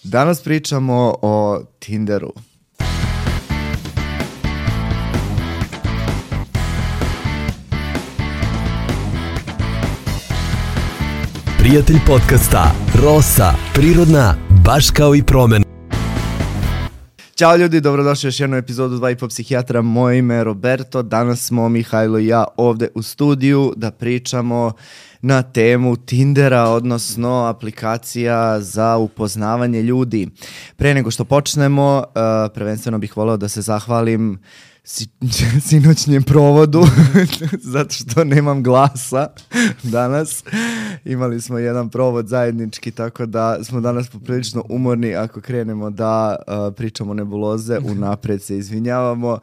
Danas pričamo o Tinderu. Prijatelj podcasta Rosa, prirodna, baš kao i promen. Ćao ljudi, dobrodošli u još jednu epizodu 2,5 psihijatra. Moje ime je Roberto. Danas smo Mihajlo i ja ovde u studiju da pričamo na temu Tindera, odnosno aplikacija za upoznavanje ljudi. Pre nego što počnemo, prvenstveno bih voleo da se zahvalim sinoćnjem provodu, zato što nemam glasa danas. Imali smo jedan provod zajednički, tako da smo danas poprilično umorni. Ako krenemo da pričamo nebuloze, unapred se izvinjavamo.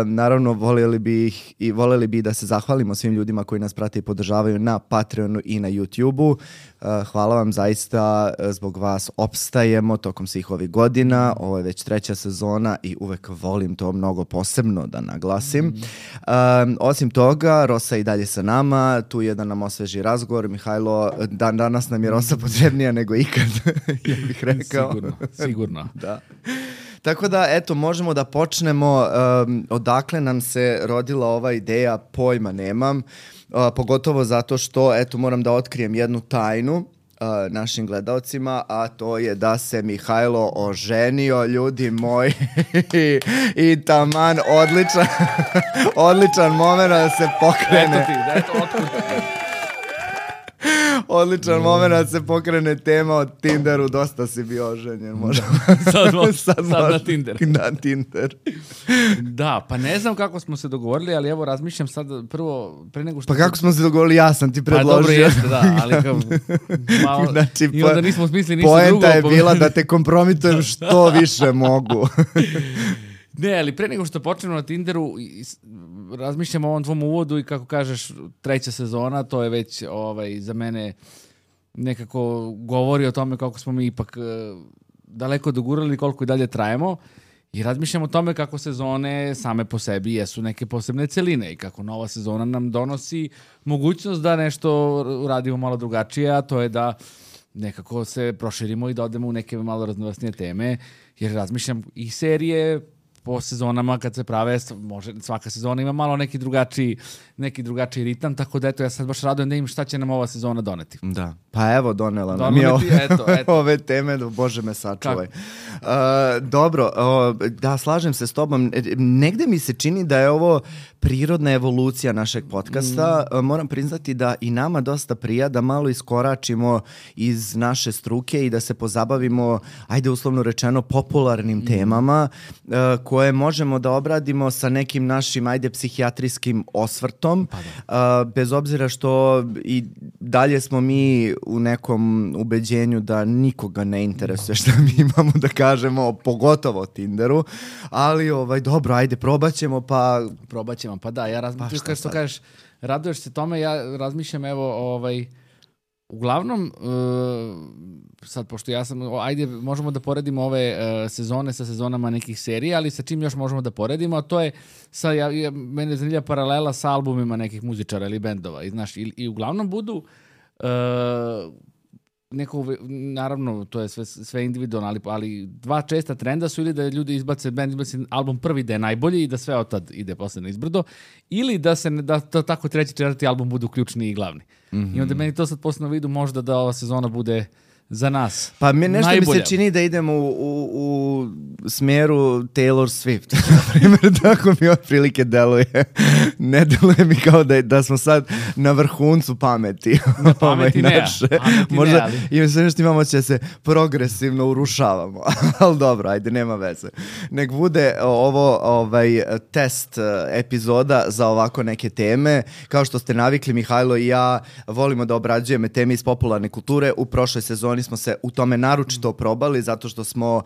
Naravno, voljeli bi da se zahvalimo svim ljudima koji nas prate i podržavaju na Patreonu i na YouTubeu. Hvala vam zaista, zbog vas opstajemo tokom svih ovih godina. Ovo je već 3. sezona i uvek volim to mnogo posebno da naglasim. Osim toga, Rosa i dalje sa nama, tu je da nam osveži razgovor. Mihajlo, danas nam je Rosa potrebnija nego ikad, ja bih rekao. Sigurno. Da. Tako da, eto, možemo da počnemo. Odakle nam se rodila ova ideja, pojma nemam. Pogotovo zato što, eto, moram da otkrijem jednu tajnu našim gledaocima, a to je da se Mihajlo oženio, ljudi moji. I taman, odličan moment da se pokrene. Odličan moment da se pokrene tema o Tinderu. Dosta si bio oženjen. Sad na Tinder. Na Tinder. Da, pa ne znam kako smo se dogovorili, ali evo razmišljam sad prvo, pre nego što... Pa kako smo se dogovorili, ja sam ti predložio. Pa dobro jeste, da, ali kao malo... Znači, i onda nismo smislili ništa drugo. Poenta je bila da te kompromitujem što više mogu. Ne, ali pre nego što počnemo na Tinderu, razmišljam o ovom tvom uvodu i kako kažeš 3. sezona, to je već za mene nekako govori o tome kako smo mi ipak daleko dogurali, koliko i dalje trajemo, i razmišljam o tome kako sezone same po sebi jesu neke posebne celine i kako nova sezona nam donosi mogućnost da nešto radimo malo drugačije, a to je da nekako se proširimo i da odemo u neke malo raznovrsnije teme, jer razmišljam i serije po sezonama kad se prave, svaka sezona ima malo neki drugačiji ritam, tako da eto, ja sad baš radujem da im šta će nam ova sezona doneti. Da, pa evo donela nam je ove teme, Bože me sačuvaj. Dobro, da, slažem se s tobom. Negde mi se čini da je ovo prirodna evolucija našeg podcasta. Moram priznati da i nama dosta prija da malo iskoračimo iz naše struke i da se pozabavimo, ajde uslovno rečeno, popularnim temama koje možemo da obradimo sa nekim našim, ajde, psihijatrijskim osvrtom. Bez obzira što i dalje smo mi u nekom ubeđenju da nikoga ne interesuje šta mi imamo da kažemo, pogotovo o Tinderu, ali dobro, ajde, probat ćemo, pa da, ja razmišljam, kao što kažeš, raduješ se tome, ja razmišljam, evo, uglavnom, sad, pošto ja sam, ajde, možemo da poredimo ove sezone sa sezonama nekih serija, ali sa čim još možemo da poredimo, a to je, mene zanimlja paralela sa albumima nekih muzičara ili bendova, i znaš, i uglavnom budu naravno, to je sve individualno, ali dva česta trenda su ili da ljudi izbace album prvi da je najbolji i da sve od tad ide posle na izbrdo, ili da tako 3. 4. album budu ključni i glavni. I onda meni to sad posle vidu možda da ova sezona bude za nas. Pa nešto najbolja. Mi se čini da idemo u smjeru Taylor Swift. Na primjer, tako mi otprilike deluje. Ne deluje mi kao da smo sad na vrhuncu pameti. Na pameti ne. Možda i sve što imamo će se progresivno urušavamo. Ali dobro, ajde, nema veze. Nek bude ovo test epizoda za ovako neke teme. Kao što ste navikli, Mihajlo i ja volimo da obrađujemo teme iz popularne kulture. U prošloj sezoni smo se u tome naročito probali zato što smo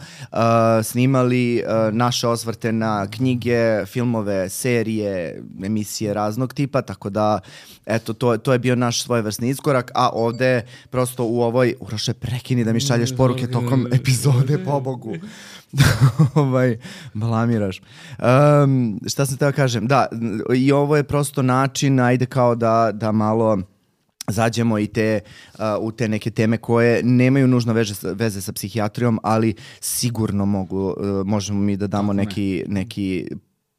snimali naše osvrte na knjige, filmove, serije, emisije raznog tipa, tako da eto, to je bio naš svojevrsni iskorak, a ovde prosto u ovoj, Uroše, prekini da mi šalješ poruke tokom epizode, pobogu. Blamiraš. Šta sam teo kažem? Da, i ovo je prosto način, ajde kao da malo zađemo i u te neke teme koje nemaju nužno veze sa psihijatrijom, ali sigurno možemo mi da damo neki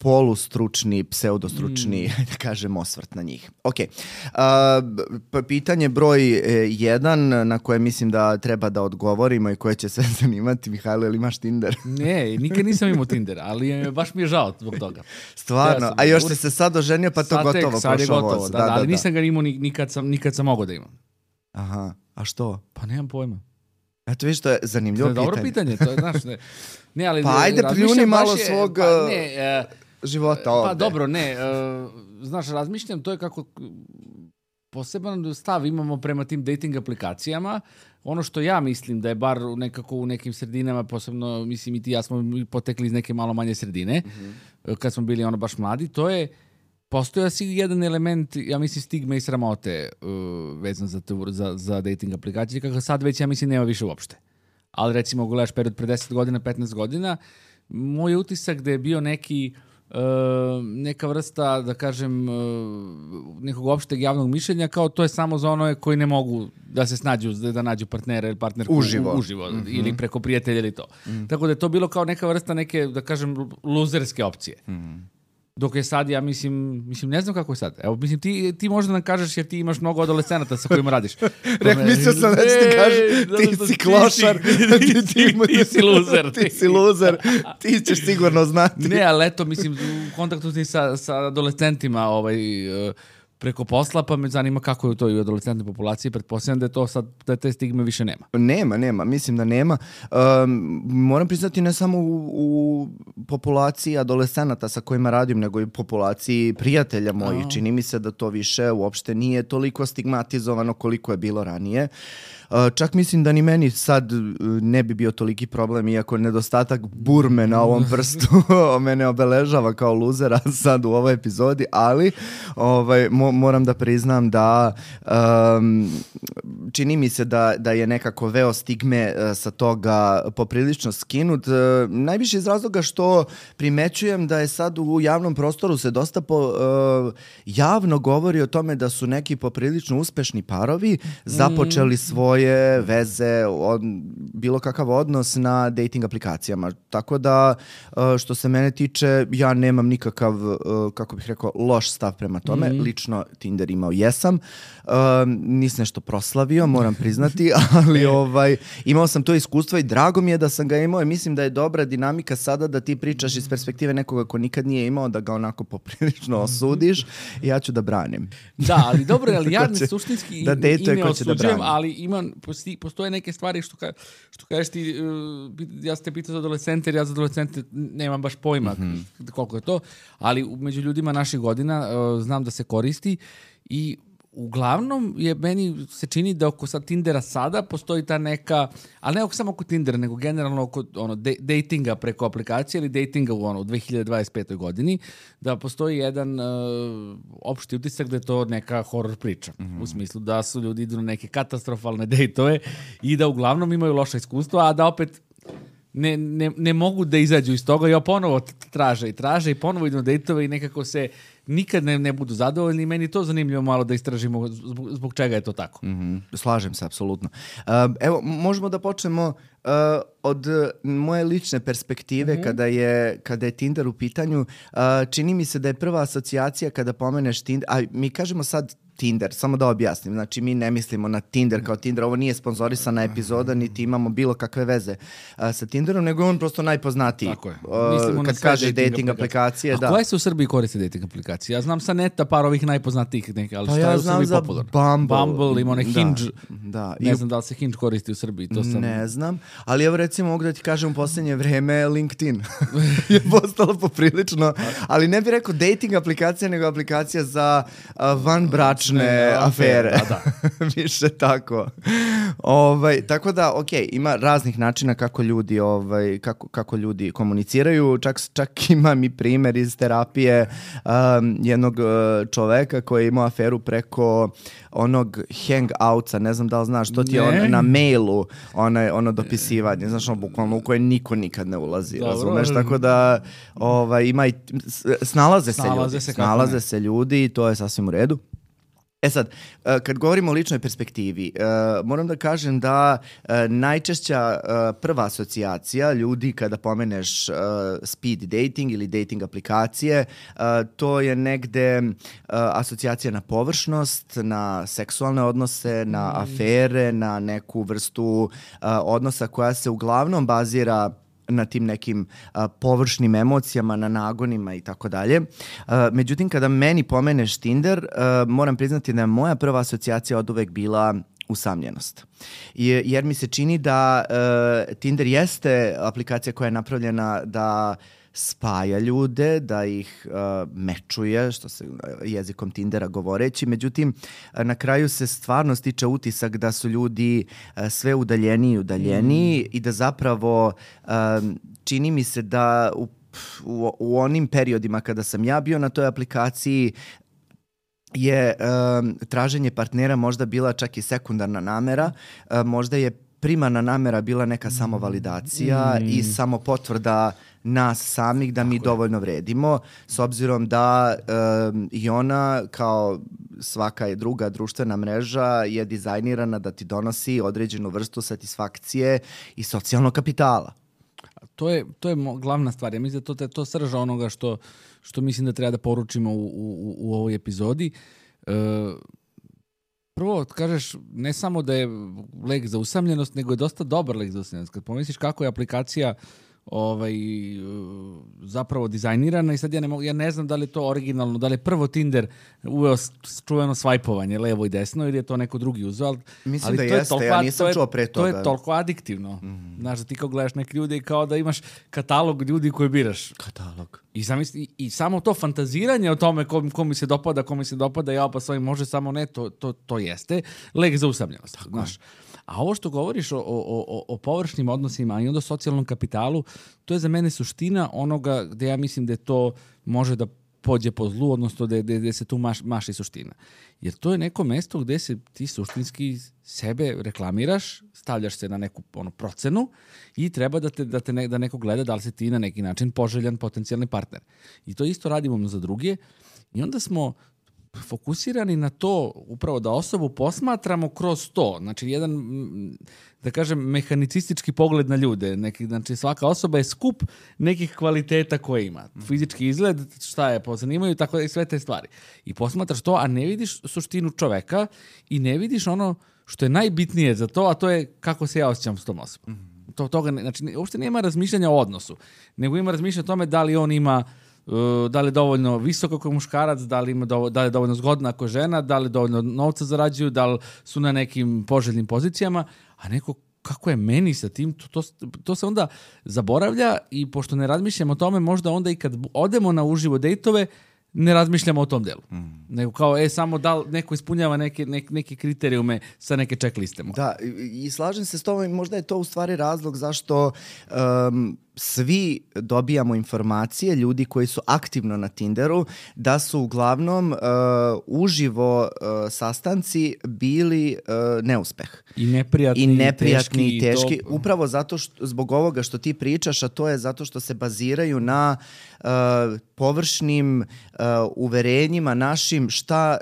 polustručni, pseudostručni, da kažem, osvrt na njih. Ok. Pitanje broj 1 na koje mislim da treba da odgovorimo i koje će se zanimati. Mihajlo, ili imaš Tinder? Ne, nikad nisam imao Tinder, ali baš mi je žao zbog toga. Stvarno? A još se sad oženio, pa to gotovo. Sad je gotovo, da, ali nisam ga imao nikad sam mogao da imam. Aha, a što? Pa nemam pojma. Eto viš, to je zanimljivo pitanje. Dobro pitanje, to je, znaš, ne, ali... Pa ajde, pljuni malo svog života ovde. Pa dobro, ne, znaš, razmišljam, to je kako poseban stav imamo prema tim dating aplikacijama. Ono što ja mislim da je bar nekako u nekim sredinama, posebno, mislim i ti ja smo potekli iz neke malo manje sredine, kad smo bili baš mladi, to je postoja si jedan element, ja mislim, stigme i sramote vezan za dating aplikacije, kako sad već, ja mislim, nema više uopšte. Ali recimo, gledaš period pre 10 godina, 15 godina, moj utisak da je bio neka vrsta, da kažem, nekog opšteg javnog mišljenja, kao to je samo za ono koji ne mogu da se snađu, da nađu partnera ili partnerku uživo ili preko prijatelja ili to. Tako da je to bilo kao neka vrsta neke, da kažem, luzerske opcije. Dok je sad, ja mislim, ne znam kako je sad. Evo, mislim, ti možda nam kažeš jer ti imaš mnogo adolescenata sa kojima radiš. Mislio sam da ti kažeš, ti si klošar, ti si luzer. Ti si luzer, ti ćeš sigurno znati. Ne, ali eto, mislim, u kontaktu ti sa adolescentima preko posla, pa me zanima kako je to i u adolescentnoj populaciji. Pretpostavljam da je to sad, da te stigme više nema. Nema, mislim da nema. Moram priznati ne samo u populaciji adolescenata sa kojima radim, nego i populaciji prijatelja mojih. Čini mi se da to više uopšte nije toliko stigmatizovano koliko je bilo ranije. Čak mislim da ni meni sad ne bi bio toliki problem, iako nedostatak burme na ovom prstu mene obeležava kao luzera sad u ovoj epizodi, ali moram da priznam da čini mi se da je nekako veo stigme sa toga poprilično skinut. Najviše iz razloga što primećujem da je sad u javnom prostoru se dosta javno govori o tome da su neki poprilično uspešni parovi započeli svoje veze, bilo kakav odnos na dating aplikacijama. Tako da, što se mene tiče, ja nemam nikakav, kako bih rekao, loš stav prema tome. Lično Tinder imao jesam. Nisam nešto proslavio, moram priznati, ali imao sam to iskustvo i drago mi je da sam ga imao i mislim da je dobra dinamika sada da ti pričaš iz perspektive nekoga ko nikad nije imao, da ga onako poprilično osudiš i ja ću da branim. Da, ali dobro, ali ja ne suštinski ime osuđujem, ali postoje neke stvari što kažeš ti, ja ste pitao za adolescente, jer ja za adolescente nemam baš pojma koliko je to, ali među ljudima naših godina znam da se koristi i uglavnom meni se čini da oko sad Tindera sada postoji ta neka, ali ne samo oko Tindera, nego generalno oko datinga preko aplikacije ili datinga u 2025. godini, da postoji jedan opšti utisak da je to neka horror priča. U smislu da su ljudi idu na neke katastrofalne dejtove i da uglavnom imaju loša iskustva, a da opet ne mogu da izađu iz toga i ponovo traže i ponovo idu na dejtove i nekako se nikad ne budu zadovoljni i meni to zanimljivo malo da istražimo zbog čega je to tako. Slažem se, apsolutno. Evo, možemo da počnemo od moje lične perspektive kada je Tinder u pitanju. Čini mi se da je prva asocijacija kada pomeneš Tinder, a mi kažemo sad Tinder, samo da objasnim. Znači, mi ne mislimo na Tinder kao Tinder. Ovo nije sponzorisana epizoda, niti imamo bilo kakve veze sa Tinderom, nego je on prosto najpoznatiji. Tako je. Kad kaže dating aplikacije, da. A koje se u Srbiji koriste dating aplikacije? Ja znam sa neta par ovih najpoznatijih neke, ali pa šta ja je u Srbiji popularno? Bumble, ima onaj Hinge. Da. Ne znam da li se Hinge koristi u Srbiji. To sam... Ne znam, ali evo recimo mogu da ti kažem u posljednje vreme LinkedIn je postalo poprilično, ali ne bih rekao dating aplikacija, nego aplikacija za vanbračne afere. Da. Više tako. Tako da, ima raznih načina kako ljudi, kako ljudi komuniciraju. Čak imam i primjer iz terapije jednog čoveka koji je imao aferu preko onog hangoutsa, ne znam da li znaš, to ti je na mailu ono dopisivanje, znaš, bukvalno u koje niko nikad ne ulazi, razumeš, tako da ima i snalaze se ljudi i to je sasvim u redu. Sad, kad govorimo o ličnoj perspektivi, moram da kažem da najčešća prva asocijacija ljudi kada pomeneš speed dating ili dating aplikacije, to je negde asocijacija na površnost, na seksualne odnose, na afere, na neku vrstu odnosa koja se uglavnom bazira na tim nekim površnim emocijama, na nagonima i tako dalje. Međutim, kada meni pomeneš Tinder, moram priznati da je moja prva asocijacija od uvek bila usamljenost. Jer mi se čini da Tinder jeste aplikacija koja je napravljena da spaja ljude, da ih mečuje, što se jezikom Tindera govoreći. Međutim, na kraju se stvarno stiče utisak da su ljudi sve udaljeniji i udaljeniji i da zapravo čini mi se da u onim periodima kada sam ja bio na toj aplikaciji je traženje partnera možda bila čak i sekundarna namera, možda je primarna namera bila neka samovalidacija i samopotvrda nas samih da mi dovoljno vredimo, s obzirom da i ona kao svaka je druga društvena mreža je dizajnirana da ti donosi određenu vrstu satisfakcije i socijalnog kapitala. To je glavna stvar. Ja mislim da to srža onoga što mislim da treba da poručimo u ovoj epizodi. Prvo, kažeš, ne samo da je lek za usamljenost, nego je dosta dobar lek za usamljenost. Kad pomisliš kako je aplikacija zapravo dizajnirana i sad ja ne znam da li je to originalno, da li je prvo Tinder uveo čuveno svajpovanje levo i desno ili je to neko drugi uzeo, ali mislim da jeste, ja nisam čuo pre toga. To je toliko adiktivno. Znaš, da ti kao gledaš neke ljude i kao da imaš katalog ljudi koje biraš. Katalog. I samo to fantaziranje o tome ko mi se dopada, ja pa svojim može samo ne, to jeste lek za usamljenost. Znaš. A ovo što govoriš o površnim odnosima i onda socijalnom kapitalu, to je za mene suština onoga gde ja mislim da to može da pođe po zlu, odnosno gde se tu maši suština. Jer to je neko mesto gde se ti suštinski sebe reklamiraš, stavljaš se na neku procenu i treba da neko gleda da li si ti na neki način poželjan potencijalni partner. I to isto radimo za druge i onda smo fokusirani na to upravo da osobu posmatramo kroz to. Znači, jedan, da kažem, mehanicistički pogled na ljude. Znači, svaka osoba je skup nekih kvaliteta koje ima. Fizički izgled, šta je pozanimaju, tako da i sve te stvari. I posmatraš to, a ne vidiš suštinu čoveka i ne vidiš ono što je najbitnije za to, a to je kako se ja osjećam s tom osobom. Znači, uopšte nema razmišljanja o odnosu, nego ima razmišljanja o tome da li on ima da li je dovoljno visoko kao muškarac, da li je dovoljno zgodna ako žena, da li dovoljno novca zarađuju, da li su na nekim poželjnim pozicijama, a neko kako je meni sa tim, to se onda zaboravlja i pošto ne razmišljamo o tome, možda onda i kad odemo na uživo dejtove, ne razmišljamo o tom delu. Nego kao, samo da li neko ispunjava neke kriterijume sa neke checkliste. Da, i slažem se s tobom, možda je to u stvari razlog zašto svi dobijamo informacije, ljudi koji su aktivno na Tinderu, da su uglavnom uživo sastanci bili neuspeh. I neprijatni i teški. Upravo zato zbog ovoga što ti pričaš, a to je zato što se baziraju na površnim uverenjima našim šta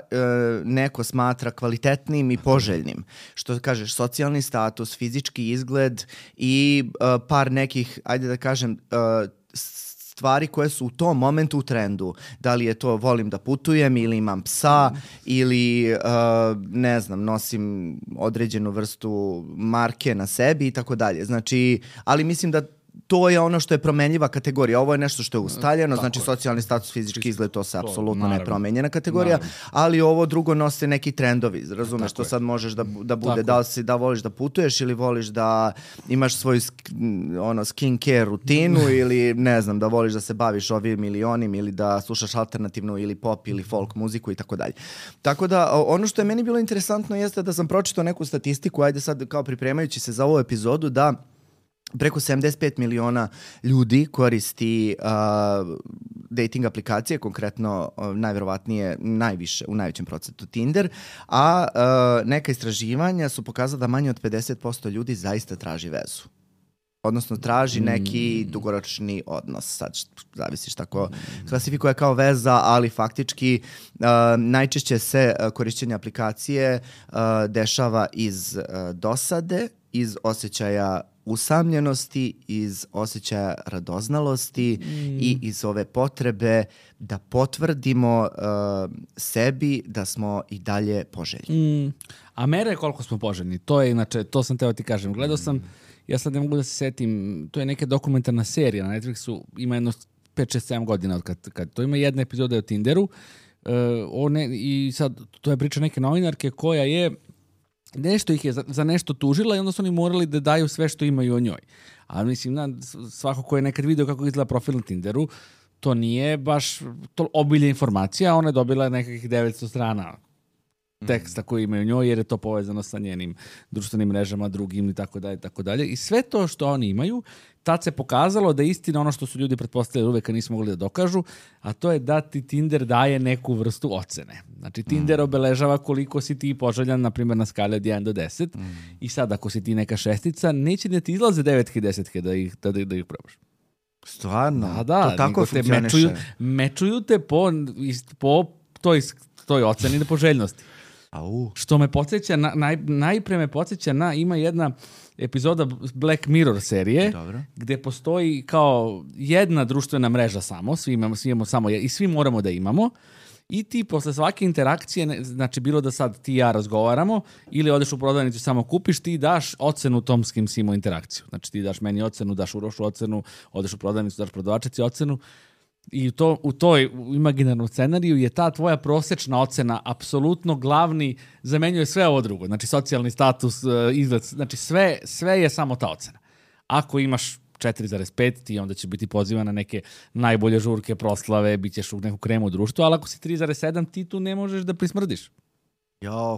neko smatra kvalitetnim i poželjnim. Što kažeš, socijalni status, fizički izgled i par nekih, ajde da kažem, stvari koje su u tom momentu u trendu. Da li je to volim da putujem ili imam psa ili ne znam, nosim određenu vrstu marke na sebi i tako dalje. Znači, ali mislim da to je ono što je promenljiva kategorija. Ovo je nešto što je ustaljeno, znači socijalni status, fizički izgled, to se apsolutno ne promenjena kategorija, ali ovo drugo nose neki trendovi. Razumeš, to sad možeš da bude da voliš da putuješ ili voliš da imaš svoju skincare rutinu ili ne znam, da voliš da se baviš ovim ili onim ili da slušaš alternativnu ili pop ili folk muziku i tako dalje. Tako da ono što je meni bilo interesantno jeste da sam pročitao neku statistiku, ajde sad kao pripremajući se za ovu epizodu, da preko 75 miliona ljudi koristi dating aplikacije, konkretno najverovatnije u najvećem procentu Tinder, a neka istraživanja su pokazala da manje od 50% ljudi zaista traži vezu. odnosno traži neki dugoročni odnos. Sad zavisiš tako klasifikuje kao veza, ali faktički najčešće se korišćenje aplikacije dešava iz dosade, iz osjećaja usamljenosti, iz osjećaja radoznalosti i iz ove potrebe da potvrdimo sebi da smo i dalje poželjni. A mere koliko smo poželjni, to je inače, to sam teo ti kažem. Gledao sam, ja sad ne mogu da se setim, to je neka dokumentarna serija na Netflixu, ima jedno 5-6-7 godina od kad to ima jedna epizoda o Tinderu, i sad to je priča neke novinarke koja je nešto ih je za nešto tužila i onda su oni morali da daju sve što imaju o njoj. A mislim, svako ko je nekad vidio kako izgleda profil na Tinderu, to nije baš to obilje informacija, ona je dobila nekakvih 900 strana teksta koji imaju njoj, jer je to povezano sa njenim društvenim mrežama, drugim i tako dalje, tako dalje. I sve to što oni imaju, tad se pokazalo da je istina ono što su ljudi pretpostavili uvek, a nisu mogli da dokažu, a to je da ti Tinder daje neku vrstu ocene. Znači, Tinder obeležava koliko si ti poželjan, na primjer, na skali od 1 do 10. I sad, ako si ti neka šestica, neće da ti izlaze 9 i 10 da ih probaš. Stvarno? Da, to tako funkcioniše. Mečuju te po toj oceni poželjnosti. Što me podsjeća, najpre me podsjeća na, ima jedna epizoda Black Mirror serije, gde postoji kao jedna društvena mreža samo, svi imamo samo i svi moramo da imamo, i ti posle svake interakcije, znači bilo da sad ti i ja razgovaramo, ili odeš u prodavnicu samo kupiš, ti daš ocenu tom s kim si imao interakciju. Znači ti daš meni ocenu, daš Urošu ocenu, odeš u prodavnicu, daš prodavačici ocenu. I u toj imaginarnom scenariju je ta tvoja prosečna ocena apsolutno glavni, zamenjuje sve ovo drugo. Znači socijalni status, izgled, znači sve je samo ta ocena. Ako imaš 4,5, ti onda će biti pozivan na neke najbolje žurke, proslave, bit ćeš u neku kremu u društvu, ali ako si 3,7, ti tu ne možeš da prismrdiš.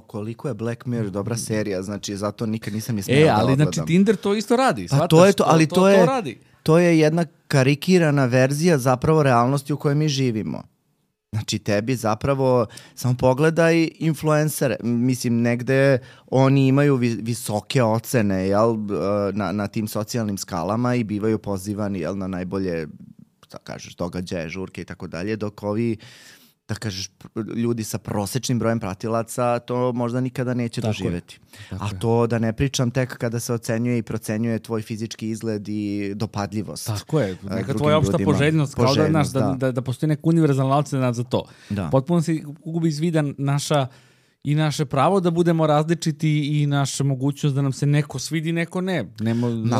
Koliko je Black Mirror dobra serija, znači zato nikad nisam ni smela da odgledam. Ali znači Tinder to isto radi. Pa to je to, ali to radi. To je jedna karikirana verzija zapravo realnosti u kojoj mi živimo. Znači tebi zapravo, samo pogledaj influencere, mislim negde oni imaju visoke ocene, jel, na tim socijalnim skalama i bivaju pozivani, jel, na najbolje, da kažeš, događaje, žurke i tako dalje, dok ovi, da kažeš, ljudi sa prosečnim brojem pratilaca to možda nikada neće doživjeti. A to da ne pričam tek kada se ocenjuje i procenjuje tvoj fizički izgled i dopadljivost. Tako je, neka tvoja opšta poželjnost, kao da postoji neka univerzalna ocena za to. Potpuno se gubi iz vida naše pravo da budemo različiti i naša mogućnost da nam se neko svidi, neko ne.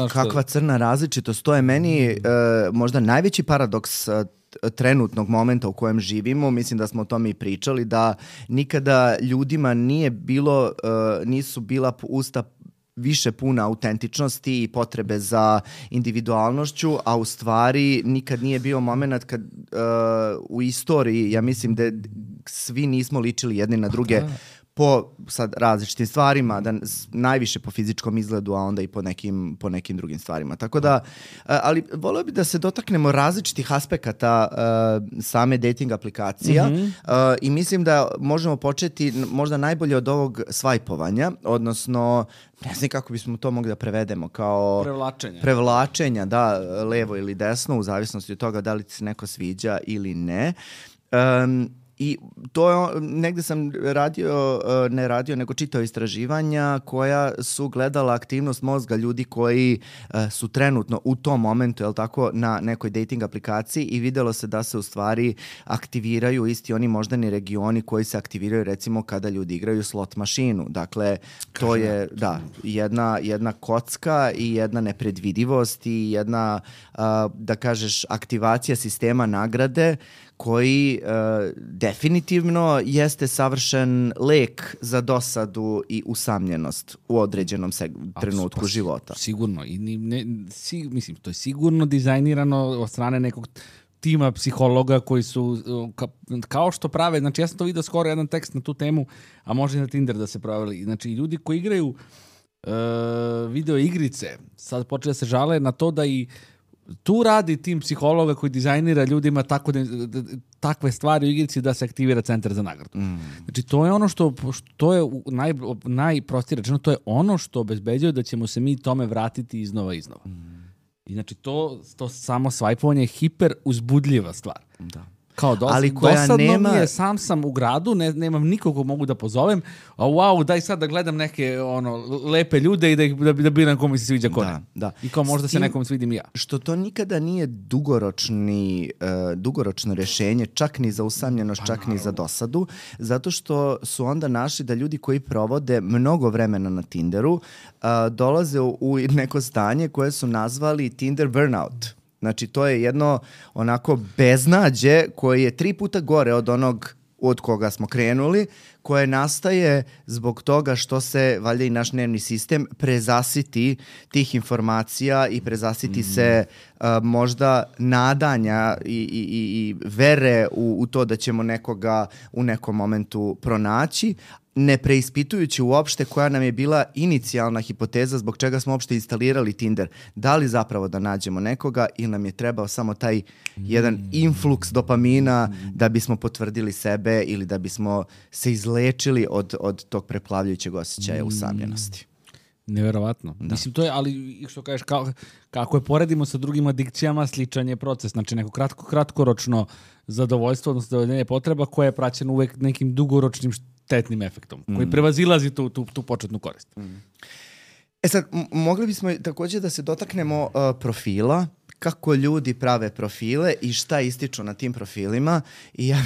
Kakva crna različitost, to je meni možda najveći paradoks trenutnog momenta u kojem živimo. Mislim da smo o tome i pričali, da nikada ljudima nisu bila usta više puna autentičnosti i potrebe za individualnošću, a u stvari nikad nije bio moment kad u istoriji, ja mislim da svi nismo ličili jedni na druge po sad različitim stvarima, da najviše po fizičkom izgledu, a onda i po nekim drugim stvarima. Tako da, ali volio bih da se dotaknemo različitih aspekata same dating aplikacija i mislim da možemo početi možda najbolje od ovog svajpovanja, odnosno ne znam kako bismo to mogli da prevedemo, kao prevlačenja, da, levo ili desno, u zavisnosti od toga da li ti se neko sviđa ili ne. I to je, negde sam nego čitao istraživanja koja su gledala aktivnost mozga ljudi koji su trenutno u tom momentu, jel tako, na nekoj dating aplikaciji i videlo se da se u stvari aktiviraju isti oni moždani regioni koji se aktiviraju recimo kada ljudi igraju slot mašinu. Dakle, to je jedna kocka i jedna nepredvidivost i jedna, da kažeš, aktivacija sistema nagrade koji definitivno jeste savršen lek za dosadu i usamljenost u određenom trenutku života. Sigurno. Mislim, to je sigurno dizajnirano od strane nekog tima psihologa koji su, kao što prave, znači ja sam to vidio skoro jedan tekst na tu temu, a može i na Tinder da se pravili. Znači ljudi koji igraju video igrice, sad počne da se žale na to da i tu radi tim psihologa koji dizajnira ljudima takve stvari u igrici da se aktivira centar za nagradu. Znači, to je ono što je najprostije rečeno, to je ono što obezbeđuje da ćemo se mi tome vratiti iznova. I znači to samo svajpovanje je hiper uzbudljiva stvar. Da. Kao Ali koja dosadno nema... mi je, sam u gradu, nemam nikog mogu da pozovem, a wow, daj sad da gledam neke lepe ljude i da biram ko mi se sviđa ko ne. Da. I kao možda se nekom svidim i ja. Što to nikada nije dugoročno rješenje, čak ni za usamljenost, čak ni za dosadu, zato što su onda našli da ljudi koji provode mnogo vremena na Tinderu dolaze u neko stanje koje su nazvali Tinder burnout. Znači, to je jedno onako beznađe koje je 3 puta gore od onog od koga smo krenuli, koje nastaje zbog toga što se, valjda i naš nervni sistem, prezasiti tih informacija i prezasiti se možda nadanja i vere u to da ćemo nekoga u nekom momentu pronaći, ne preispitujući uopšte koja nam je bila inicijalna hipoteza zbog čega smo uopšte instalirali Tinder. Da li zapravo da nađemo nekoga ili nam je trebao samo taj jedan influks dopamina da bismo potvrdili sebe ili da bismo se izlečili od tog preplavljujućeg osjećaja usamljenosti. Neverovatno. Da. Mislim, to je, ali što kažeš, kako je poredimo sa drugim adikcijama, sličan je proces. Znači, neko kratkoročno zadovoljstvo, odnosno zadovoljenje potreba koje je praćeno uvek nekim dugoročnim štetnim efektom, koji prevazilazi tu početnu korist. Sad, mogli bismo također da se dotaknemo profila, kako ljudi prave profile i šta ističu na tim profilima. I ja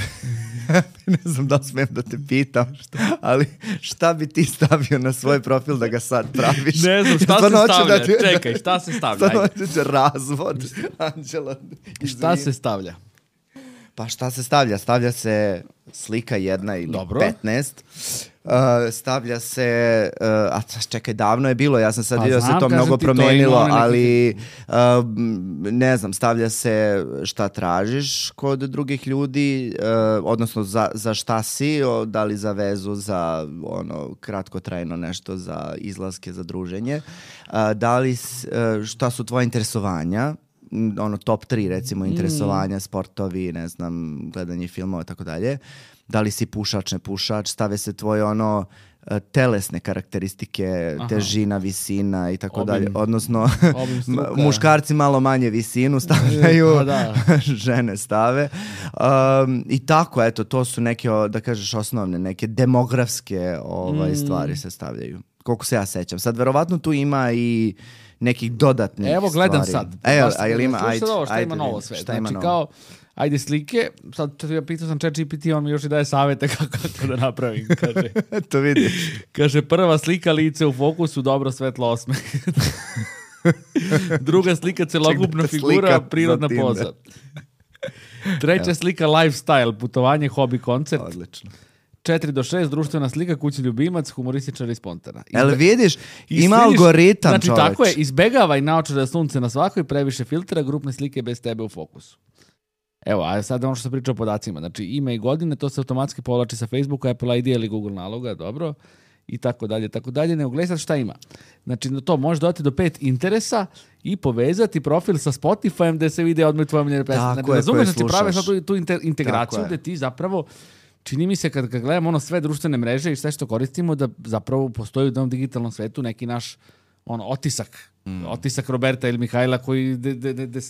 ne znam da li smijem da te pitam, ali šta bi ti stavio na svoj profil da ga sad praviš? Ne znam, šta se stavlja? Čekaj, šta se stavlja? Razvod, Anđela. Šta se stavlja? Pa šta se stavlja? Stavlja se slika jedna ili 15. Stavlja se, čekaj, davno je bilo, ja sam sad vidio da se to mnogo promenilo, ali ne znam, stavlja se šta tražiš kod drugih ljudi, odnosno za šta si, da li za vezu, za kratkotrajno nešto, za izlaske, za druženje, da li, šta su tvoje interesovanja, top 3 recimo interesovanja, sportovi, ne znam, gledanje filmova i tako dalje. Da li si pušač, ne pušač, stave se tvoje telesne karakteristike, težina, visina i tako dalje. Odnosno, muškarci malo manje visinu stavljaju, žene stave. I tako, eto, to su neke, da kažeš, osnovne, neke demografske stvari se stavljaju. Koliko se ja sećam. Sad, verovatno tu ima i nekih dodatnih stvari. Evo, gledam sad. Ajde, ima novo sve. Znači, kao, ajde slike, sad ja pitao sam ChatGPT, on mi još i daje savjete kako da napravim, kaže. To vidiš. Kaže, prva slika, lice u fokusu, dobro svetlo osmeh. Druga slika, celokupna figura, prirodna poza. Treća slika, lifestyle, putovanje, hobi, koncert. Odlično. 4 do 6, društvena slika, kućni ljubimac, humorističar i spontana. Jel vidiš, ima algoritam, znači, čoveč. Tako je, izbegavaj naočare sunce na svakoj, previše filtera, grupne slike bez tebe u fokusu. Evo, a sad ono što sam pričao o podacima. Znači, ime i godine, to se automatski povlači sa Facebooka, Apple ID ili Google naloga, dobro, i tako dalje. Nego gledaj sad šta ima. Znači, to može dodati do 5 interesa i povezati profil sa Spotifyem gde se vide odmah tvoje omiljene pesme. Znači, razumeš da ti prave sad tu integraciju gde ti zapravo, čini mi se kad gledamo sve društvene mreže i sve što koristimo, da zapravo postoji u tom digitalnom svetu neki naš otisak Roberta ili Mihajla koji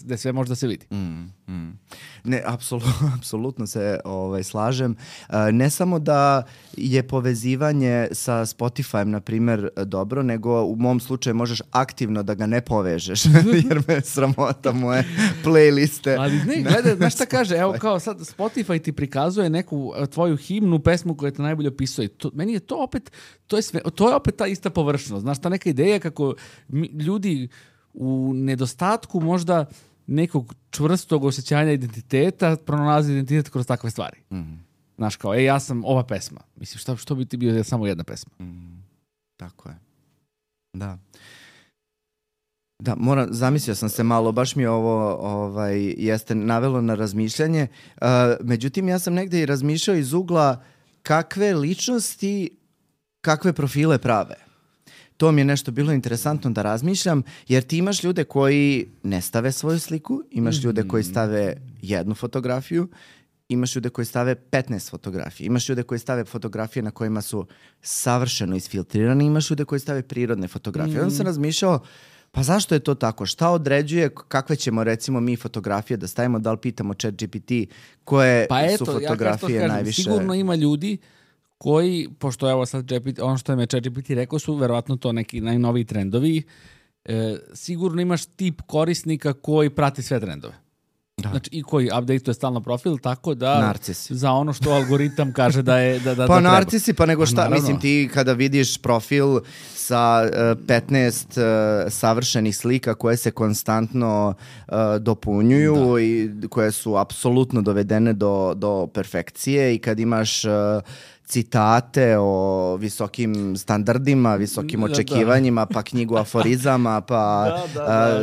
de sve može da se vidi. Ne, apsolutno se slažem. Ne samo da je povezivanje sa Spotifyem, na primjer, dobro, nego u mom slučaju možeš aktivno da ga ne povežeš, jer me sramota moje playliste. Ali ne, gledaj, znaš šta kaže, evo kao sad Spotify ti prikazuje neku tvoju himnu, pesmu koja te najbolje opisuje. Meni je to opet, to je opet ta ista površnost. Znaš, ta neka ideja kako ljudi u nedostatku možda nekog čvrstog osjećanja identiteta pronalazi identitet kroz takve stvari. Znaš, kao, ja sam ova pesma. Mislim, što bi ti bio samo jedna pesma? Tako je. Da. Da, zamislio sam se malo, baš mi ovo jeste navelo na razmišljanje. Međutim, ja sam negdje i razmišljao iz ugla kakve ličnosti, kakve profile prave. To mi je nešto bilo interesantno da razmišljam, jer ti imaš ljude koji ne stave svoju sliku, imaš ljude koji stave jednu fotografiju, imaš ljude koji stave 15 fotografija, imaš ljude koji stave fotografije na kojima su savršeno isfiltrirani, imaš ljude koji stave prirodne fotografije. Onda sam razmišljao, Pa zašto je to tako? Šta određuje kakve ćemo recimo mi fotografije da stavimo, da li pitamo ChatGPT koje su fotografije najviše? Sigurno ima ljudi koji, pošto evo sad ono što je me ChatGPT rekao su verovatno to neki najnoviji trendovi, sigurno imaš tip korisnika koji prati sve trendove. Da. Znači i koji update-uje stalno profil, tako da narcisi. Za ono što algoritam kaže da je da pa narcisi, pa nego šta, mislim ti kada vidiš profil sa 15 savršenih slika koje se konstantno dopunjuju i koje su apsolutno dovedene do perfekcije i kad imaš citate o visokim standardima, visokim očekivanjima, pa knjigu aforizama, pa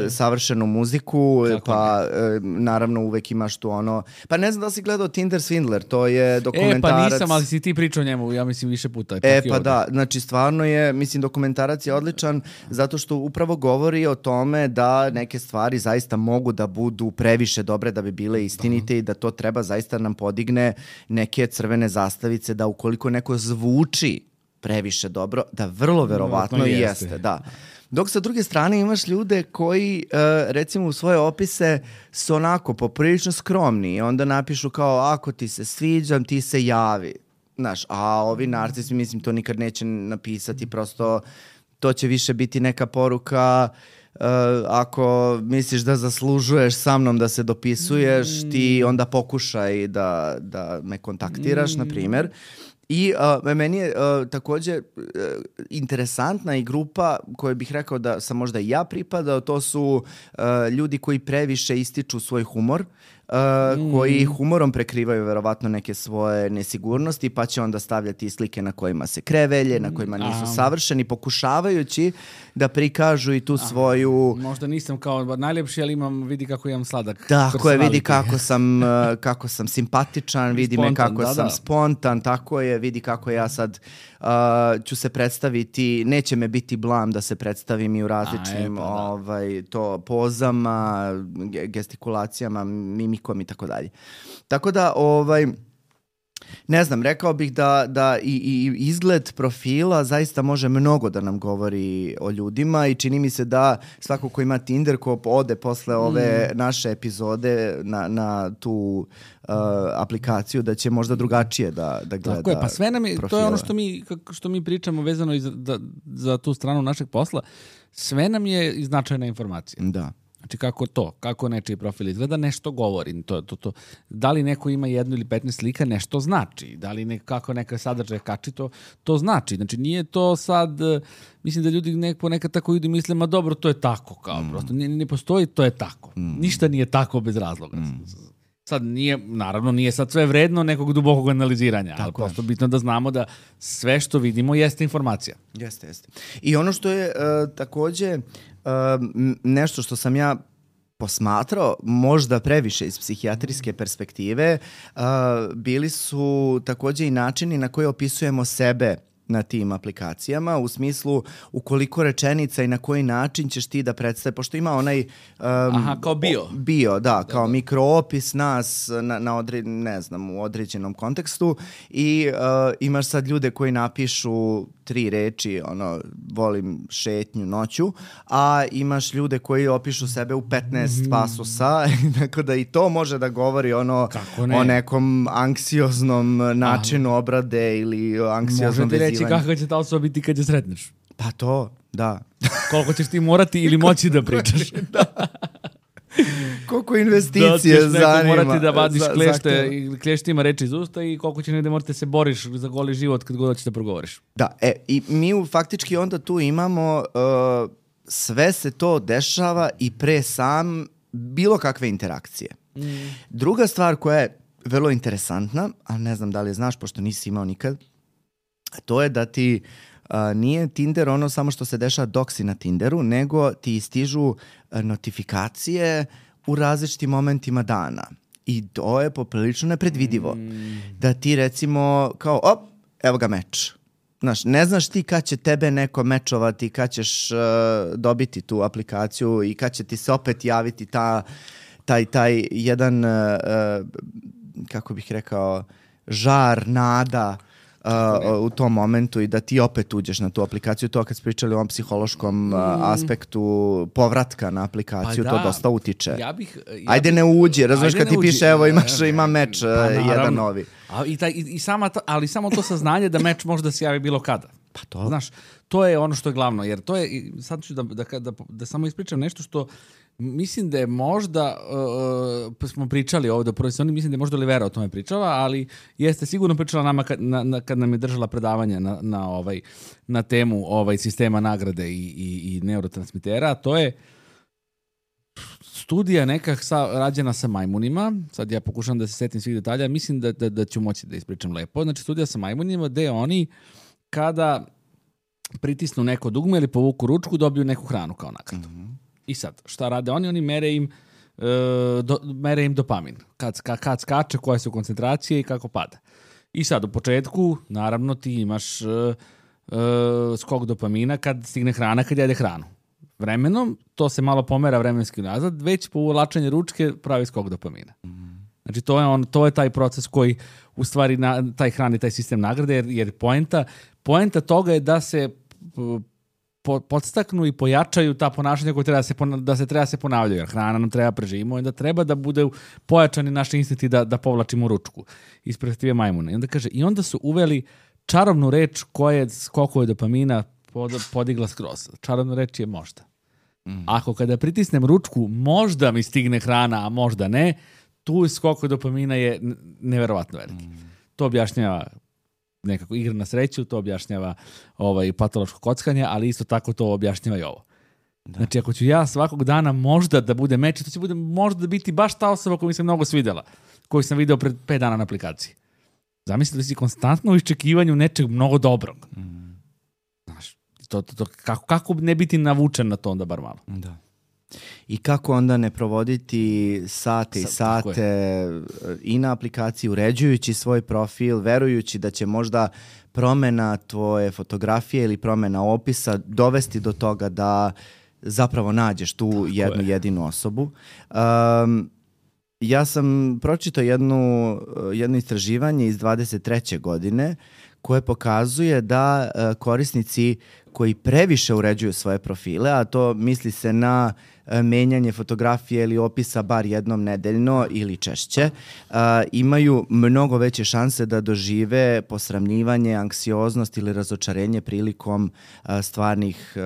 savršenu muziku, tako pa naravno uvek imaš tu ono... Pa ne znam da li si gledao Tinder Swindler, to je dokumentarac... Pa nisam, ali si ti pričao o njemu, ja mislim više puta. Pa da, znači stvarno je, mislim dokumentarac je odličan zato što upravo govori o tome da neke stvari zaista mogu da budu previše dobre da bi bile istinite i da to treba zaista nam podigne neke crvene zastavice da ukoliko neko zvuči previše dobro, da vrlo verovatno jeste. Da. Dok sa druge strane imaš ljude koji recimo u svoje opise su onako poprilično skromni i onda napišu kao ako ti se sviđam, ti se javi. Znaš, a ovi narcisi, mislim, to nikad neće napisati, prosto to će više biti neka poruka ako misliš da zaslužuješ sa mnom da se dopisuješ, ti onda pokušaj da me kontaktiraš, na primjer. I meni je također interesantna i grupa koju bih rekao da sam možda i ja pripadao, to su ljudi koji previše ističu svoj humor, koji humorom prekrivaju verovatno neke svoje nesigurnosti, pa će onda stavljati slike na kojima se krevelje, na kojima nisu savršeni, pokušavajući da prikažu i tu svoju... Možda nisam kao najljepši, ali vidi kako imam sladak. Tako je, vidi kako sam simpatičan, vidi me kako sam spontan, tako je, vidi kako ja sad ću se predstaviti, neće me biti blam da se predstavim i u različnim pozama, gestikulacijama, mimikom i tako dalje. Tako da, ne znam, rekao bih da i izgled profila zaista može mnogo da nam govori o ljudima i čini mi se da svako ko ima Tinder, ko ode posle ove naše epizode na tu aplikaciju, da će možda drugačije da gleda. Tako je, pa sve nam je, to je ono što mi pričamo vezano za tu stranu našeg posla, sve nam je značajna informacija. Da. Znači kako nečiji profil izgleda, nešto govori. To. Da li neko ima 1 ili 15 slika, nešto znači. Da li kako neka sadržaj kači, to znači. Znači nije to sad, mislim da ljudi ponekad tako idu i misle, ma dobro, to je tako, kao prosto. Ne postoji, to je tako. Ništa nije tako bez razloga. Sad nije sad sve vredno nekog dubokog analiziranja, ali prosto bitno da znamo da sve što vidimo jeste informacija. Jeste. I ono što je također nešto što sam ja posmatrao, možda previše iz psihijatrijske perspektive, bili su također i načini na koje opisujemo sebe na tim aplikacijama, u smislu u rečenica i na koji način ćeš ti da predstaviš, pošto ima onaj kao bio, kao mikroopis nas u određenom kontekstu i imaš sad ljude koji napišu 3 reči, volim šetnju noću, a imaš ljude koji opišu sebe u 15 pasusa, tako da i to može da govori o nekom anksioznom načinu obrade ili anksioznom vezivanju. Može ti reći kako će ta osoba biti kad je sretneš. Pa to, da. Koliko ćeš ti morati ili moći da pričaš. Koliko investicije zanima. Da ćeš morati da vadiš klještima reči iz usta i koliko ćeš negde morati se boriš za goli život kad god hoćeš da progovoriš. Da, i mi faktički onda tu imamo sve se to dešava i pre sam bilo kakve interakcije. Druga stvar koja je vrlo interesantna, a ne znam da li je znaš pošto nisi imao nikad, to je da ti nije Tinder ono samo što se dešava dok si na Tinderu, nego ti stižu notifikacije u različitim momentima dana. I to je poprilično nepredvidivo. Da ti recimo kao, evo ga meč. Znaš, ne znaš ti kad će tebe neko mečovati, kad ćeš dobiti tu aplikaciju i kad će ti se opet javiti taj jedan, kako bih rekao, žar, nada, u tom momentu i da ti opet uđeš na tu aplikaciju. To kad smo pričali o ovom psihološkom aspektu povratka na aplikaciju, to dosta utiče. Ajde ne uđi, razumiješ kad ti piše evo ima meč jedan novi. Ali samo to saznanje da meč može da se javi bilo kada. Pa to. Znaš, to je ono što je glavno, jer to je, sad ću da samo ispričam nešto što mislim da je možda, smo pričali ovdje u prvoj sezoni, mislim da je možda Olivera o tome pričala, ali jeste sigurno pričala nama kad nam je držala predavanje na temu sistema nagrade i neurotransmitera. To je studija neka rađena sa majmunima, sad ja pokušam da se setim svih detalja, mislim da ću moći da ispričam lepo. Znači studija sa majmunima gde oni kada pritisnu neko dugme ili povuku ručku dobiju neku hranu kao nagradu. I sad, šta rade oni? Oni mere im dopamin. Kad skače, koje su koncentracije i kako pada. I sad, u početku, naravno, ti imaš skok dopamina kad stigne hrana, kad jede hranu. Vremenom, to se malo pomera vremenski nazad, već po uvlačenju ručke pravi skok dopamina. Znači, to je taj proces koji u stvari taj hrani, taj sistem nagrade, jer poenta toga je da se podstaknu i pojačaju ta ponašanja koje treba se ponavljaju, jer hrana nam treba preživimo i da treba da bude pojačani naši instinkti da povlačimo ručku iz perspektive majmuna. I onda kaže, i onda su uveli čarobnu reč koja je skokove dopamina podigla skroz. Čarobna reč je možda. Ako kada pritisnem ručku, možda mi stigne hrana, a možda ne, tu skok dopamina je neverovatno veliki. To objašnjava nekako igra na sreću, to objašnjava patološko kockanje, ali isto tako to objašnjava i ovo. Da. Znači, ako ću ja svakog dana možda da bude meč, to će bude možda biti baš ta osoba koju mi se mnogo svidjela, koju sam video pred 5 dana na aplikaciji. Zamisli da si konstantno u iščekivanju nečeg mnogo dobrog. Znaš, kako ne biti navučen na to onda bar malo? Da. I kako onda ne provoditi sate i sate i na aplikaciji, uređujući svoj profil, verujući da će možda promjena tvoje fotografije ili promjena opisa dovesti do toga da zapravo nađeš tu jednu jedinu osobu. Ja sam pročitao jedno istraživanje iz 23. godine koje pokazuje da korisnici koji previše uređuju svoje profile, a to misli se na menjanje fotografije ili opisa bar jednom nedeljno ili češće, imaju mnogo veće šanse da dožive posramljivanje, anksioznost ili razočarenje prilikom stvarnih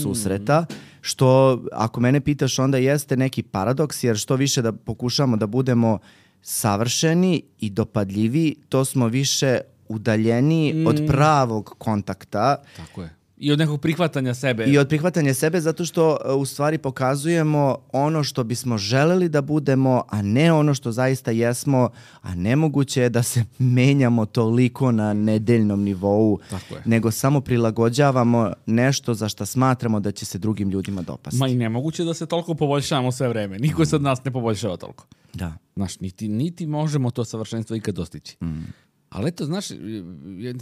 susreta, što ako mene pitaš onda jeste neki paradoks, jer što više da pokušamo da budemo savršeni i dopadljivi, to smo više udaljeni od pravog kontakta. Tako je. I od nekog prihvatanja sebe. I od prihvatanja sebe, zato što u stvari pokazujemo ono što bismo želeli da budemo, a ne ono što zaista jesmo, a nemoguće je da se menjamo toliko na nedeljnom nivou, nego samo prilagođavamo nešto za što smatramo da će se drugim ljudima dopasti. Ma i nemoguće da se toliko poboljšavamo sve vreme. Niko se od nas ne poboljšava toliko. Da. Znaš, niti možemo to savršenstvo ikad dostići. Ali eto, znaš,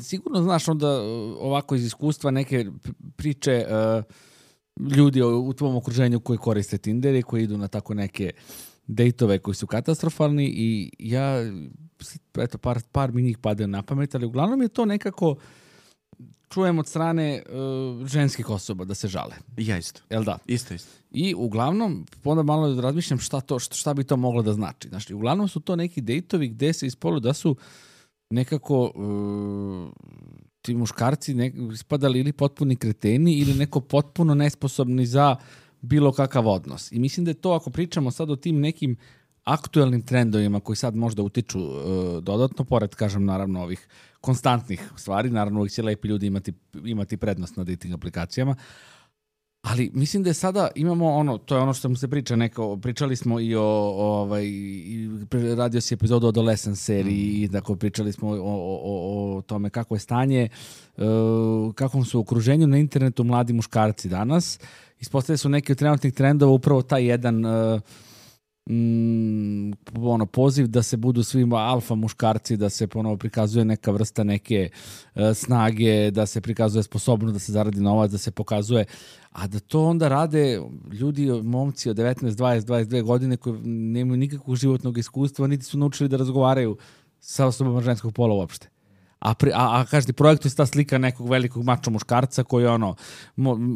sigurno znaš onda ovako iz iskustva neke priče ljudi u tvom okruženju koji koriste Tinder i koji idu na tako neke dejtove koji su katastrofalni i ja, eto, par mi njih padaju na pamet, ali uglavnom je to nekako čujem od strane ženskih osoba da se žale. Ja isto. Jel da? Isto. I uglavnom, onda malo razmišljam šta bi to moglo da znači. Znači, uglavnom su to neki dejtovi gde se ispolu da su nekako ti muškarci ispadali ili potpuni kreteni ili neko potpuno nesposobni za bilo kakav odnos. I mislim da je to, ako pričamo sad o tim nekim aktuelnim trendovima koji sad možda utiču dodatno, pored, kažem, naravno ovih konstantnih stvari, naravno uvijek će lepi ljudi imati prednost na dating aplikacijama, ali mislim da je sada imamo to je ono što mu se priča, pričali smo i radio si epizodu o Adolescence seriji i tako pričali smo o tome kako je stanje, kakvom su u okruženju na internetu mladi muškarci danas. Ispostavljaju su neki od trenutnih trendova upravo taj jedan poziv da se budu svima alfa muškarci, da se ponovo prikazuje neka vrsta neke snage, da se prikazuje sposobnost da se zaradi novac, da se pokazuje, a da to onda rade ljudi, momci od 19, 20, 22 godine koji nemaju nikakvog životnog iskustva, niti su naučili da razgovaraju sa osobama ženskog pola uopšte. a kažete, projektu je ta slika nekog velikog mača muškarca koji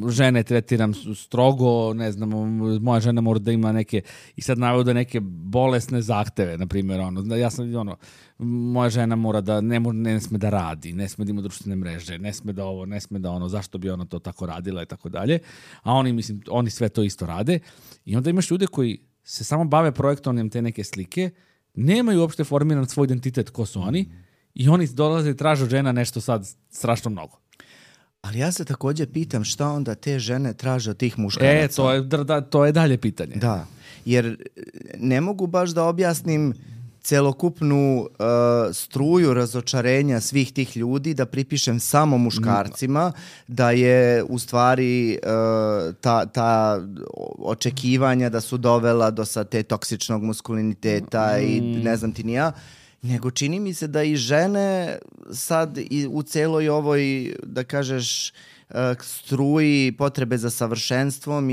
žene tretiram strogo, ne znam, moja žena mora da ima neke, i sad navoda neke bolesne zahteve, na primjer, ja sam, moja žena mora da, ne sme da radi, ne sme da ima društvene mreže, ne sme da ovo, ne sme da ono, zašto bi ona to tako radila i tako dalje, a oni sve to isto rade i onda imaš ljude koji se samo bave projektovanjem te neke slike, nemaju uopšte formiran svoj identitet ko su oni i oni dolaze i traže od žena nešto sad strašno mnogo. Ali ja se također pitam šta onda te žene traže od tih muškaraca. To je dalje pitanje. Da, jer ne mogu baš da objasnim celokupnu struju razočarenja svih tih ljudi, da pripišem samo muškarcima, da je u stvari ta očekivanja da su dovela do sad te toksičnog maskuliniteta i ne znam ti ni ja, nego čini mi se da i žene sad u celoj ovoj, da kažeš, struji potrebe za savršenstvom,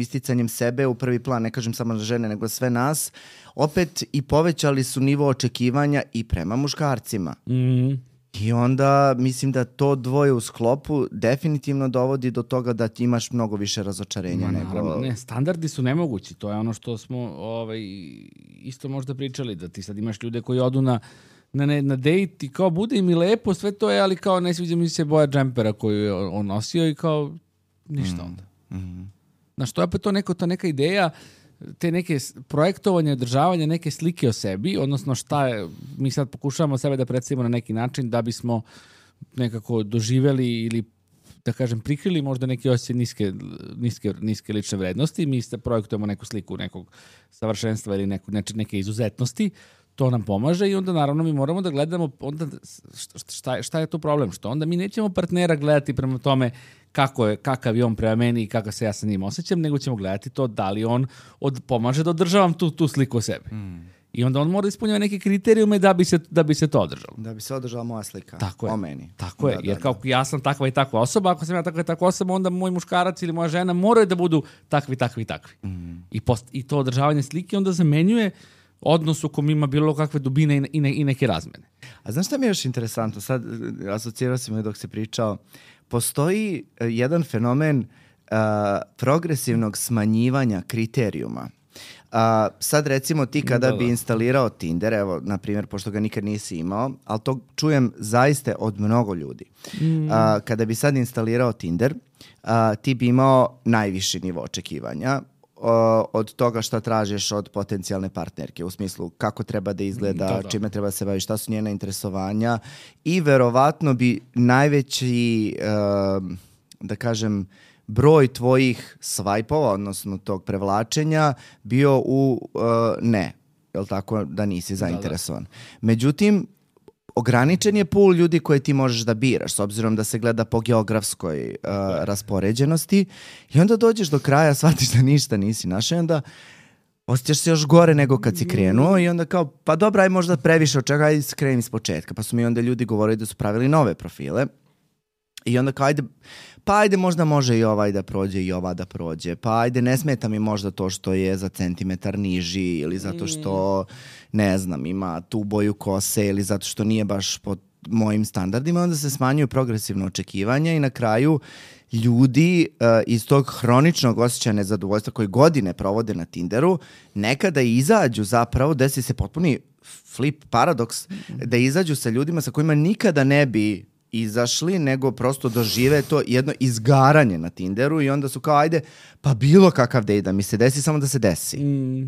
isticanjem sebe u prvi plan, ne kažem samo žene, nego sve nas, opet i povećali su nivo očekivanja i prema muškarcima. I onda mislim da to dvoje u sklopu definitivno dovodi do toga da ti imaš mnogo više razočarenja. Ne, standardi su nemogući. To je ono što smo isto možda pričali, da ti sad imaš ljude koji odu na dejt i kao bude im i lepo, sve to je, ali kao ne sviđa mi se boja džempera koju je on nosio i kao ništa onda. Znaš, to je opet ta neka ideja, te neke projektovanje, održavanje neke slike o sebi, odnosno šta je, mi sad pokušavamo sebe da predstavimo na neki način da bismo nekako doživeli ili da kažem prikrili možda neke osjećaje niske lične vrednosti, mi projektujemo neku sliku nekog savršenstva ili neke izuzetnosti, to nam pomaže i onda naravno mi moramo da gledamo onda šta je tu problem, što onda mi nećemo partnera gledati prema tome kakav je on prema meni i kakav se ja sa njim osjećam, nego ćemo gledati to da li on pomaže da održavam tu sliku o sebi. I onda on mora ispunjava neke kriterijume da bi se to održalo. Da bi se održala moja slika o meni. Tako je, jer kao ja sam takva i takva osoba, ako sam ja takva i takva osoba, onda moj muškarac ili moja žena moraju da budu takvi. I to održavanje slike onda zamenjuje odnos u kom ima bilo kakve dubine i neke razmene. A znaš šta mi je još interesantno? Sad asocirao sam me dok se pričao. Postoji jedan fenomen progresivnog smanjivanja kriterijuma. Sad recimo ti kada bi instalirao Tinder, evo na primjer, pošto ga nikad nisi imao, ali to čujem zaista od mnogo ljudi. Kada bi sad instalirao Tinder, ti bi imao najviši nivo očekivanja od toga šta tražiš od potencijalne partnerke, u smislu kako treba da izgleda, čime treba da se bavi, šta su njena interesovanja i verovatno bi najveći, da kažem, broj tvojih svajpova, odnosno tog prevlačenja, bio u ne, jel tako, da nisi zainteresovan. Međutim, ograničen je pool ljudi koje ti možeš da biraš, s obzirom da se gleda po geografskoj raspoređenosti i onda dođeš do kraja, shvatiš da ništa nisi našao i onda osjećaš se još gore nego kad si krenuo i onda kao, pa dobra, aj možda previše od čega, aj krenim iz početka. Pa su mi onda ljudi govorili da su pravili nove profile i onda kao, ajde možda može i ovaj da prođe i ova da prođe, pa ajde ne smeta mi možda to što je za centimetar niži ili zato što, ne znam, ima tu boju kose ili zato što nije baš po mojim standardima, onda se smanjuju progresivno očekivanja i na kraju ljudi iz tog hroničnog osjećaja nezadovoljstva koji godine provode na Tinderu, nekada izađu zapravo, desi se potpuni flip paradoks, da izađu sa ljudima sa kojima nikada ne bi izašli, nego prosto dožive to jedno izgaranje na Tinderu i onda su kao, ajde, pa bilo kakav dej da mi se desi, samo da se desi.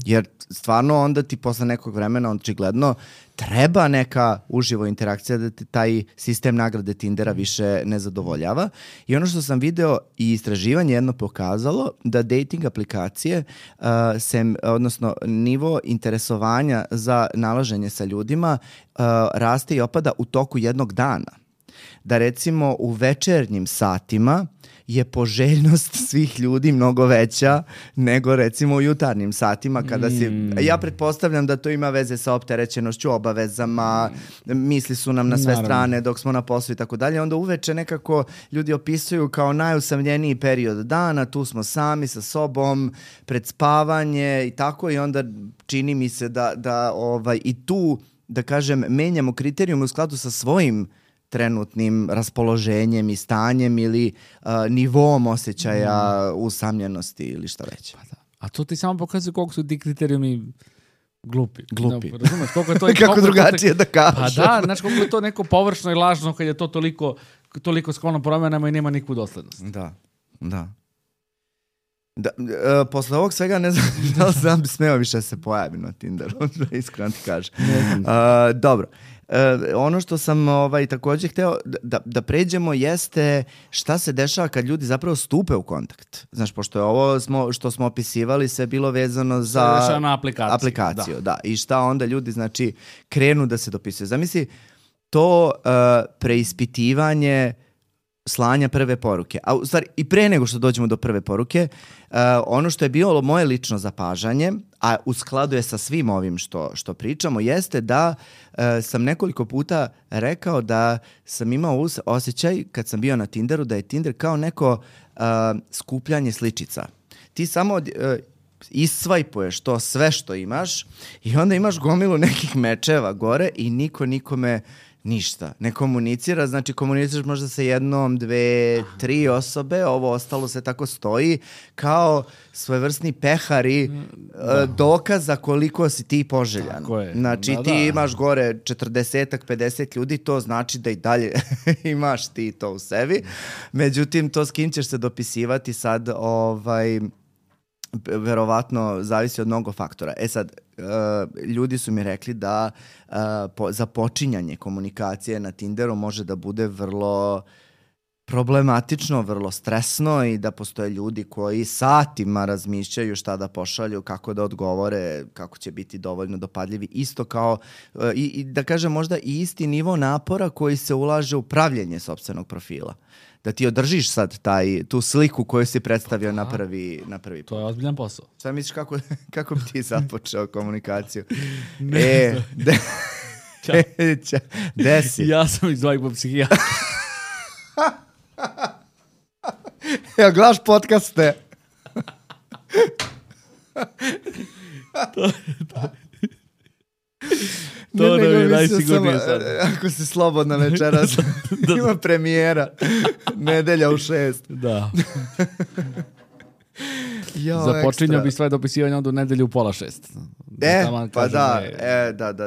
Jer stvarno onda ti posle nekog vremena očigledno treba neka uživo interakcija da ti taj sistem nagrade Tindera više ne zadovoljava. I ono što sam video i istraživanje jedno pokazalo da dating aplikacije odnosno nivo interesovanja za nalaženje sa ljudima raste i opada u toku jednog dana. Da recimo u večernjim satima je poželjnost svih ljudi mnogo veća nego recimo u jutarnjim satima kada ja pretpostavljam da to ima veze sa opterećenošću, obavezama, misli su nam na sve strane dok smo na poslu i tako dalje, onda uveče nekako ljudi opisuju kao najusamljeniji period dana, tu smo sami sa sobom, pred spavanje i tako i onda čini mi se da i tu da kažem, menjamo kriterijume u skladu sa svojim trenutnim raspoloženjem i stanjem ili nivom osjećaja usamljenosti ili šta već. Pa da. A to ti samo pokazuje koliko su ti kriterijumi glupi. Glupi. No, razumeš, koliko je to Kako drugačije da kažeš. Pa da, znaš koliko je to neko površno i lažno kad je to toliko sklono promjenama i nema nikakvu doslednost. Da. Posle ovog svega ne znam da li sam bi smeo više se pojaviti na Tinderu, iskreno ti kažem. Dobro. Ono što sam također hteo da pređemo jeste šta se dešava kad ljudi zapravo stupe u kontakt. Znaš, pošto je ovo što smo opisivali sve bilo vezano za aplikaciju. Da. I šta onda ljudi, znači, krenu da se dopisuju. Zamisli to preispitivanje slanja prve poruke. A u stvari, i pre nego što dođemo do prve poruke, ono što je bilo moje lično zapažanje, a u skladu je sa svim ovim što pričamo, jeste da sam nekoliko puta rekao da sam imao osjećaj kad sam bio na Tinderu da je Tinder kao neko skupljanje sličica. Ti samo isvajpuješ to sve što imaš i onda imaš gomilu nekih mečeva gore i niko nikome ništa. Ne komunicira, znači komuniciraš možda sa jednom, 2, 3 osobe, ovo ostalo se tako stoji kao svojevrsni pehari dokaza koliko si ti poželjan. Znači ti imaš gore 40-ak, 50 ljudi, to znači da i dalje imaš ti to u sebi. Međutim, to s kim ćeš se dopisivati sad, verovatno zavisi od mnogo faktora. Sad, ljudi su mi rekli da započinjanje komunikacije na Tinderu može da bude vrlo problematično, vrlo stresno i da postoje ljudi koji satima razmišljaju šta da pošalju, kako da odgovore, kako će biti dovoljno dopadljivi. Isto kao, i da kažem možda i isti nivo napora koji se ulaže u pravljenje sopstvenog profila. Da ti održiš sad tu sliku koju si predstavio na prvi put. To je ozbiljan posao. Šta misliš kako bi ti započeo komunikaciju? Desi. Ja sam iz Vajpo psihijatra. Ja gledaš podcaste. To ne bi najsigurnije sad. Ako si slobodna večeras, ima premijera. Nedelja u 6. Da. Započinjao bi sve dopisivanje onda u nedelju u 5:30. Pa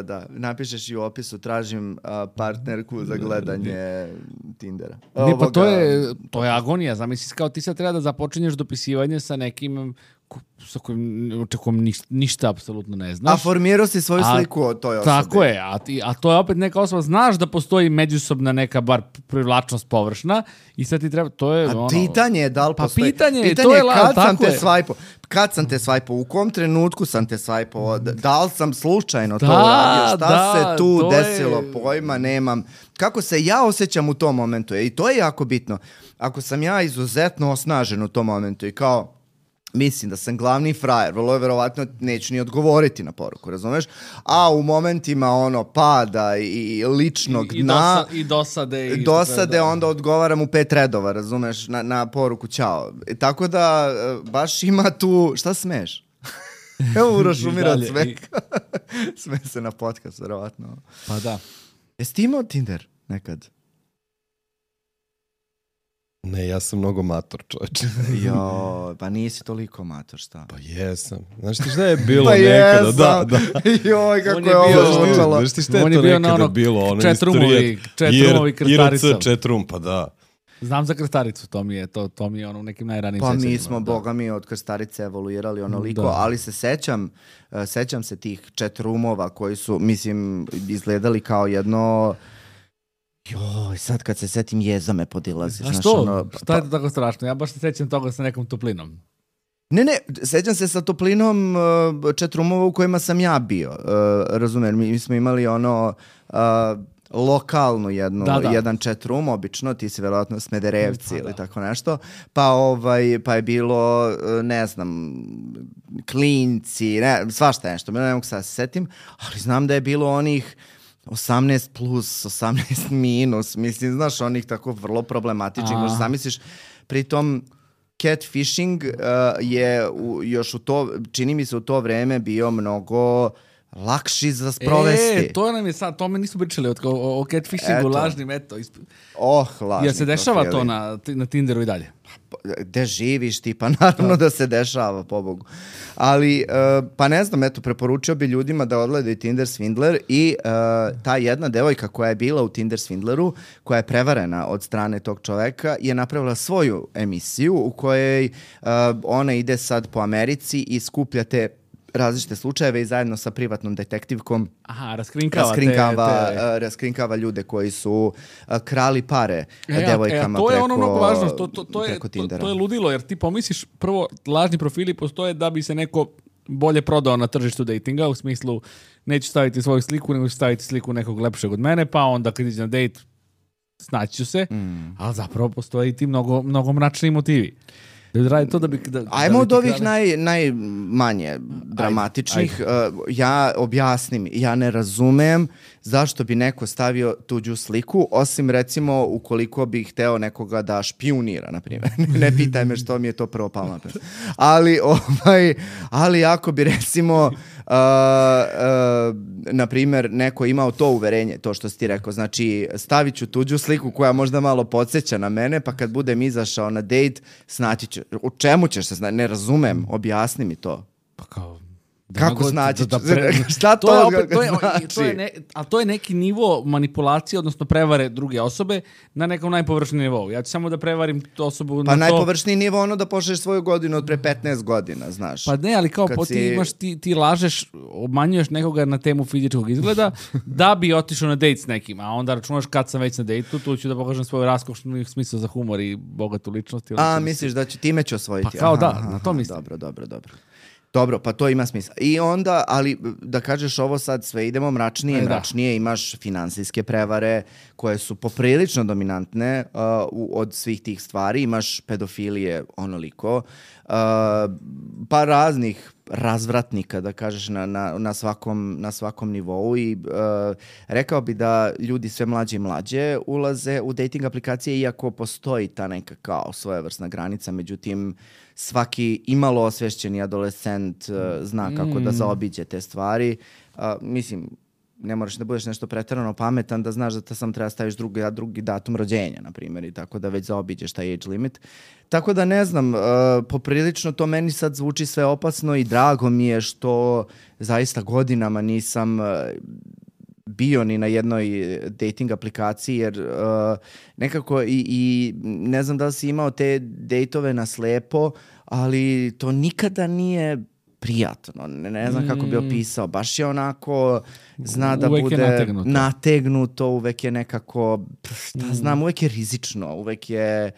da. Napišeš i u opisu, tražim partnerku za gledanje Tindera. Pa to je agonija. Zamisli kao ti sad treba da započinješ dopisivanje sa nekim sa kojim očekujem ništa apsolutno ne znaš. A formirao si svoju sliku o toj osobi. Tako je, a to je opet neka osoba, znaš da postoji međusobna neka bar privlačnost površna i sad ti treba, to je pitanje je da li postoji. Pitanje je kad sam te swipao, u kom trenutku sam te swipao, da li sam slučajno to uradio, šta se tu desilo, pojma nemam. Kako se ja osjećam u tom momentu, i to je jako bitno. Ako sam ja izuzetno osnažen u tom momentu i kao mislim da sam glavni frajer, vrlo je verovatno neću ni odgovoriti na poruku, razumeš? A u momentima pada i ličnog dna i dosade onda odgovaram u 5 redova, razumeš, na poruku ćao. Tako da baš ima tu, šta smeš? Evo Uroš umira od smeka. Sme se na podcast, verovatno. Pa da. Jesi ti imao Tinder nekad? Ne, ja sam mnogo mator, čovječe. Jo, pa nisi toliko mator, šta? Pa jesam. Znaš ti šta je bilo nekada? Da. Joj, kako je ovo zvučalo. Znaš ti šta je to nekada bilo? Četrumovi krstarica. IRC četrum, pa da. Znam za krstaricu, to mi je u nekim najranijim sećanjima. Pa mi smo, boga mi, od krstarice evoluirali onoliko, ali se sećam se tih četrumova koji su, mislim, izgledali kao jedno... Joj, sad kad se setim jeza me podilazi. A što? Šta je to tako strašno? Ja baš se sećam toga sa nekom toplinom. Ne, sećam se sa toplinom četrumova u kojima sam ja bio. Razumem, mi smo imali lokalnu jedan chatroom, obično, ti si verovatno Smederevci ili tako nešto, pa je bilo, ne znam, klinci, svašta nešto, ne mogu sad se setim, ali znam da je bilo onih 18 plus, 18 minus, mislim, znaš, onih tako vrlo problematičnih, možda zamisliš, pritom catfishing je još čini mi se u to vreme bio mnogo lakši za sprovesti. To nam je sad, to me nisu pričali o catfishingu, lažnim, lažni. Jel se dešava to na Tinderu i dalje? Gde živiš ti? Pa naravno da se dešava, pobogu. Ali, pa ne znam, preporučio bi ljudima da odgledaju Tinder Swindler i ta jedna devojka koja je bila u Tinder Swindleru, koja je prevarena od strane tog čoveka, je napravila svoju emisiju u kojoj ona ide sad po Americi i skuplja te različite slučajeve i zajedno sa privatnom detektivkom raskrinkava ljude koji su krali pare devojkama to je preko, ono mnogo važno, preko Tindera. To je ludilo, jer ti pomisliš prvo, lažni profili postoje da bi se neko bolje prodao na tržištu datinga, u smislu neću staviti svoju sliku, nego ću staviti sliku nekog lepšeg od mene, pa onda kad iđe na dejt snaći ću se, ali zapravo postoje i ti mnogo mračni motivi. Ajmo od ovih najmanje dramatičnih. Ja objasnim, ja ne razumem zašto bi neko stavio tuđu sliku, osim recimo ukoliko bi hteo nekoga da špijunira, na primjer. Ne pitaj me što mi je to prvo palo na pamet. Ali ako bi recimo na primjer neko imao to uverenje, to što si ti rekao, znači stavit ću tuđu sliku koja možda malo podsjeća na mene, pa kad budem izašao na dejt, snaći ću. U čemu ćeš se znati? Ne razumem, objasni mi to. Pa kao... Kako znači? Šta to znači? Ali to je neki nivo manipulacije, odnosno prevare druge osobe na nekom najpovršnijem nivou. Ja ću samo da prevarim tu osobu pa na to... najpovršniji nivo ono da pošleš svoju godinu od pre 15 godina, znaš. Pa ne, ali kao ti lažeš, obmanjuješ nekoga na temu fizičkog izgleda da bi otišao na dejt s nekim, a onda računaš kad sam već na dejtu, tu ću da pokažem svoju raskošnu smislu za humor i bogatu ličnost. Misliš da time ću osvojiti? Pa kao na to mislim. Dobro, pa to ima smisla. I onda, ali da kažeš ovo sad sve idemo mračnije, imaš finansijske prevare koje su poprilično dominantne od svih tih stvari, imaš pedofilije onoliko, pa raznih razvratnika, da kažeš, na svakom nivou i rekao bi da ljudi sve mlađe i mlađe ulaze u dating aplikacije, iako postoji ta neka kao svojevrsna granica, međutim svaki imalo osvešćeni adolescent zna kako da zaobiđe te stvari. Mislim, ne moraš da budeš nešto preterano pametan da znaš da sam treba staviš drugi datum rođenja, na primjer, i tako da već zaobiđeš taj age limit. Tako da ne znam, poprilično to meni sad zvuči sve opasno i drago mi je što zaista godinama nisam bio ni na jednoj dating aplikaciji, jer nekako i ne znam da li si imao te dejtove na slepo, ali to nikada nije prijatno. Ne znam kako bi opisao. Baš je onako, zna da uvek bude nategnuto, uvek je nekako, uvek je rizično, uvek je...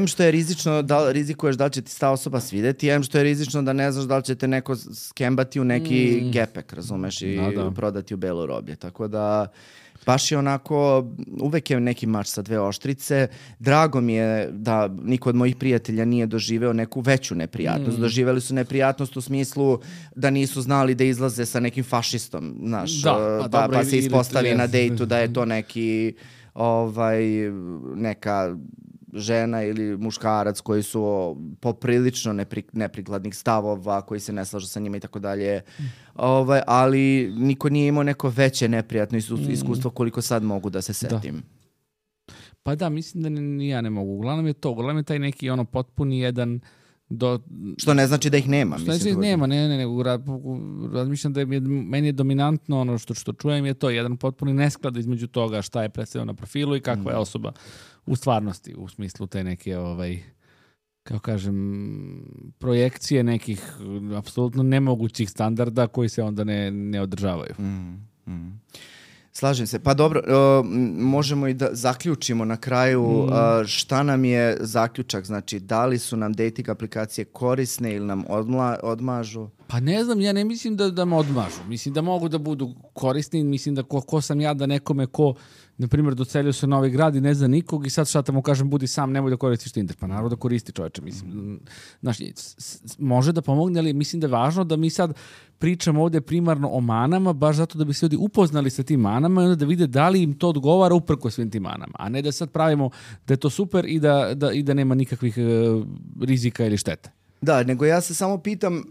što je rizično, rizikuješ da li će ti ta osoba svideti, što je rizično da ne znaš da li će te neko skembati u neki gepek, razumeš, i prodati u belo roblje. Tako da baš je onako, uvek je neki mač sa dve oštrice. Drago mi je da niko od mojih prijatelja nije doživeo neku veću neprijatnost. Doživeli su neprijatnost u smislu da nisu znali da izlaze sa nekim fašistom, znaš, pa se ispostavi na dejtu da je to neki neka žena ili muškarac koji su poprilično neprikladnih stavova, koji se ne slažu sa njima i tako dalje. Ali niko nije imao neko veće neprijatno iskustvo koliko sad mogu da se setim. Pa da, mislim da ni ja ne mogu. Uglavnom je to. Uglavnom je taj neki potpuni jedan... Što ne znači da ih nema. Što ne znači da ih nema, ne. Razmišljam da meni je dominantno ono što čujem je to jedan potpuni nesklad između toga šta je predstavljeno na profilu i kakva je osoba u stvarnosti, u smislu te neke, kao kažem, projekcije nekih apsolutno nemogućih standarda koji se onda ne održavaju. Slažem se. Pa dobro, možemo i da zaključimo na kraju šta nam je zaključak. Znači, da li su nam dating aplikacije korisne ili nam odmažu? Pa ne znam, ja ne mislim da me odmažu. Mislim da mogu da budu korisni. Mislim da ko sam ja da nekome ko, na primjer, docelio se u Novi Grad i ne zna nikog i sad šta tamo kažem, budi sam, nemoj da koristiš Tinder. Pa naravno da koristi, čoveče. Mislim, znači, može da pomogne, ali mislim da je važno da mi sad pričamo ovdje primarno o manama, baš zato da bi se ljudi upoznali sa tim manama i onda da vide da li im to odgovara uprko svim tim manama, a ne da sad pravimo da je to super i da nema nikakvih rizika ili štete. Da, nego ja se samo pitam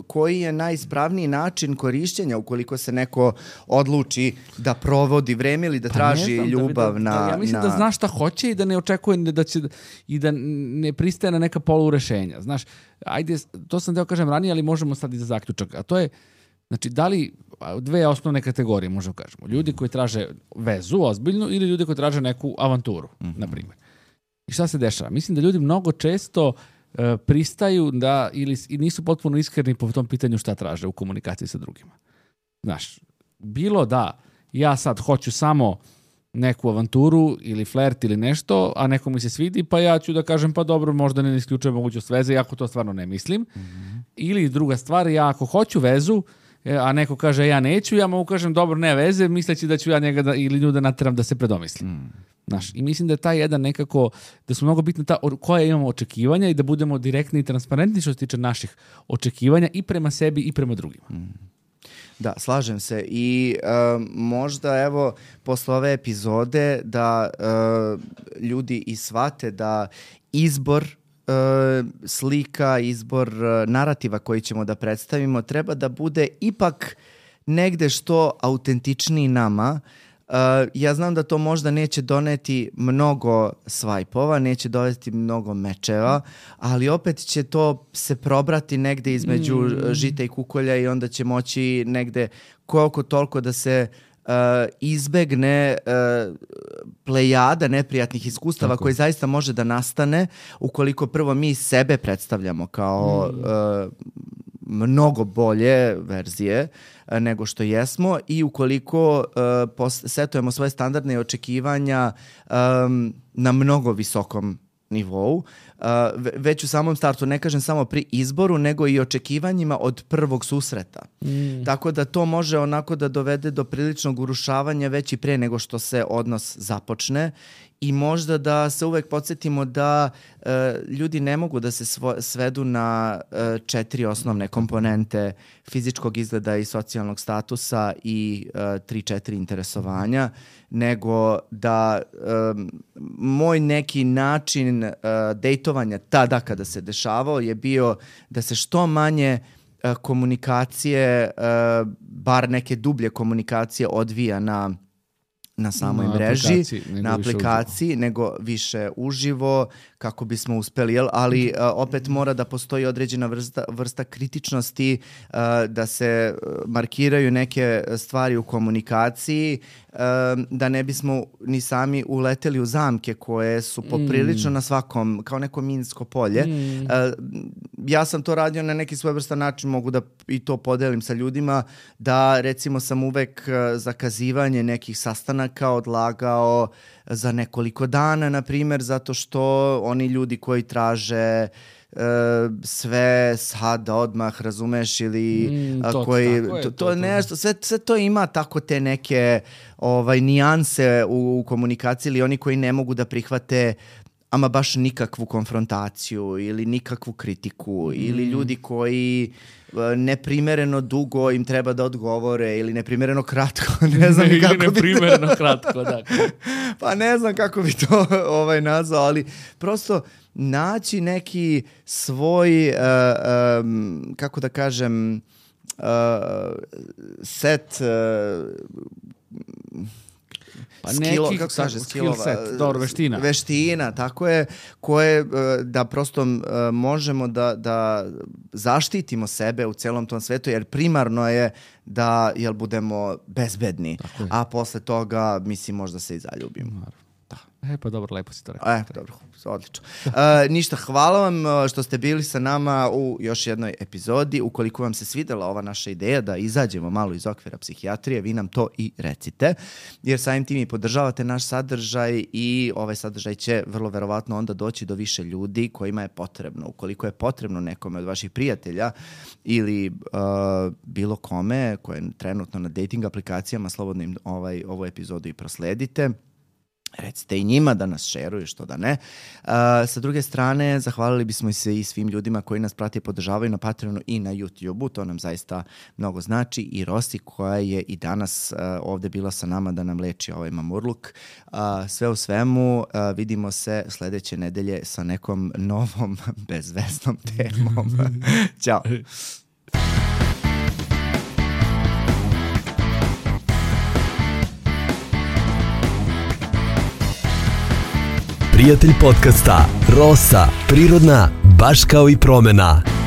koji je najispravniji način korišćenja ukoliko se neko odluči da provodi vreme ili da traži ljubav na... Ja mislim da zna šta hoće i da ne očekuje da će i da ne pristaje na neka polurešenja. Znaš, ajde, to sam teo kažem ranije, ali možemo sad i za zaključak. A to je, znači, da li dve osnovne kategorije, možemo kažemo. Ljudi koji traže vezu ozbiljnu ili ljudi koji traže neku avanturu, na primjer. I šta se dešava? Mislim da ljudi mnogo često pristaju da ili nisu potpuno iskreni po tom pitanju šta traže u komunikaciji sa drugima. Znaš, bilo da ja sad hoću samo neku avanturu ili flert ili nešto, a neko mi se svidi, pa ja ću da kažem pa dobro, možda ne isključujem mogućnost veze, iako to stvarno ne mislim. Ili druga stvar, ja ako hoću vezu, a neko kaže ja neću, ja mogu kažem dobro, ne veze, misleći da ću ja njega ili nju da nateram da se predomisli. Znaš, i mislim da je taj jedan nekako, da su mnogo bitne koja imamo očekivanja i da budemo direktni i transparentni što se tiče naših očekivanja i prema sebi i prema drugima. Da, slažem se i možda evo posle ove epizode da ljudi i shvate da izbor slika, izbor narativa koji ćemo da predstavimo treba da bude ipak negde što autentičniji nama. Ja znam da to možda neće doneti mnogo svajpova, neće dovesti mnogo mečeva, ali opet će to se probrati negde između žita i kukolja i onda će moći negde koliko toliko da se izbegne plejada neprijatnih iskustava koji zaista može da nastane ukoliko prvo mi sebe predstavljamo kao mnogo bolje verzije nego što jesmo i ukoliko setujemo svoje standardne očekivanja na mnogo visokom nivou, već u samom startu, ne kažem samo pri izboru, nego i očekivanjima od prvog susreta. Tako da to može onako da dovede do priličnog urušavanja već i pre nego što se odnos započne i možda da se uvek podsjetimo da ljudi ne mogu da se svedu na 4 osnovne komponente fizičkog izgleda i socijalnog statusa i 3-4 interesovanja, nego da moj neki način dejtovanja tada kada se dešavao je bio da se što manje komunikacije, bar neke dublje komunikacije odvija na samoj mreži, na aplikaciji, nego više uživo, kako bismo uspeli, ali opet mora da postoji određena vrsta kritičnosti, da se markiraju neke stvari u komunikaciji, da ne bismo ni sami uleteli u zamke koje su poprilično na svakom, kao neko minsko polje. Ja sam to radio na neki svojevrstan način, mogu da i to podelim sa ljudima, da recimo sam uvek zakazivanje nekih sastanaka odlagao za nekoliko dana, na primjer, zato što oni ljudi koji traže sve sada odmah, razumeš, ili koji to nešto, sve to ima tako te neke nijanse u komunikaciji, ili oni koji ne mogu da prihvate ama baš nikakvu konfrontaciju ili nikakvu kritiku, ili ljudi koji neprimereno dugo im treba da odgovore ili neprimereno kratko, ne znam kako bi neprimereno kratko, da. Pa ne znam kako bi to nazvao, ali prosto naći neki svoj kako da kažem set veština, tako je, koje da prosto možemo da zaštitimo sebe u celom tom svetu, jer primarno je da budemo bezbedni, a posle toga mislim možda se i zaljubimo. Pa dobro, lepo si to rekao. Dobro, odlično. Ništa, hvala vam što ste bili sa nama u još jednoj epizodi. Ukoliko vam se svidela ova naša ideja da izađemo malo iz okvira psihijatrije, vi nam to i recite, jer samim tim i podržavate naš sadržaj i ovaj sadržaj će vrlo verovatno onda doći do više ljudi kojima je potrebno. Ukoliko je potrebno nekome od vaših prijatelja ili bilo kome koje je trenutno na dating aplikacijama, slobodno im ovu epizodu i prosledite. recite i njima da nas šeruju, što da ne. Sa druge strane, zahvalili bismo se i svim ljudima koji nas prate i podržavaju na Patreonu i na YouTube-u, to nam zaista mnogo znači, i Rosi koja je i danas ovde bila sa nama da nam leči ovaj mamurluk. Sve u svemu, vidimo se sledeće nedelje sa nekom novom bezveznom temom. Ćao! Prijatelj podcasta Rosa, prirodna, baš kao i promena.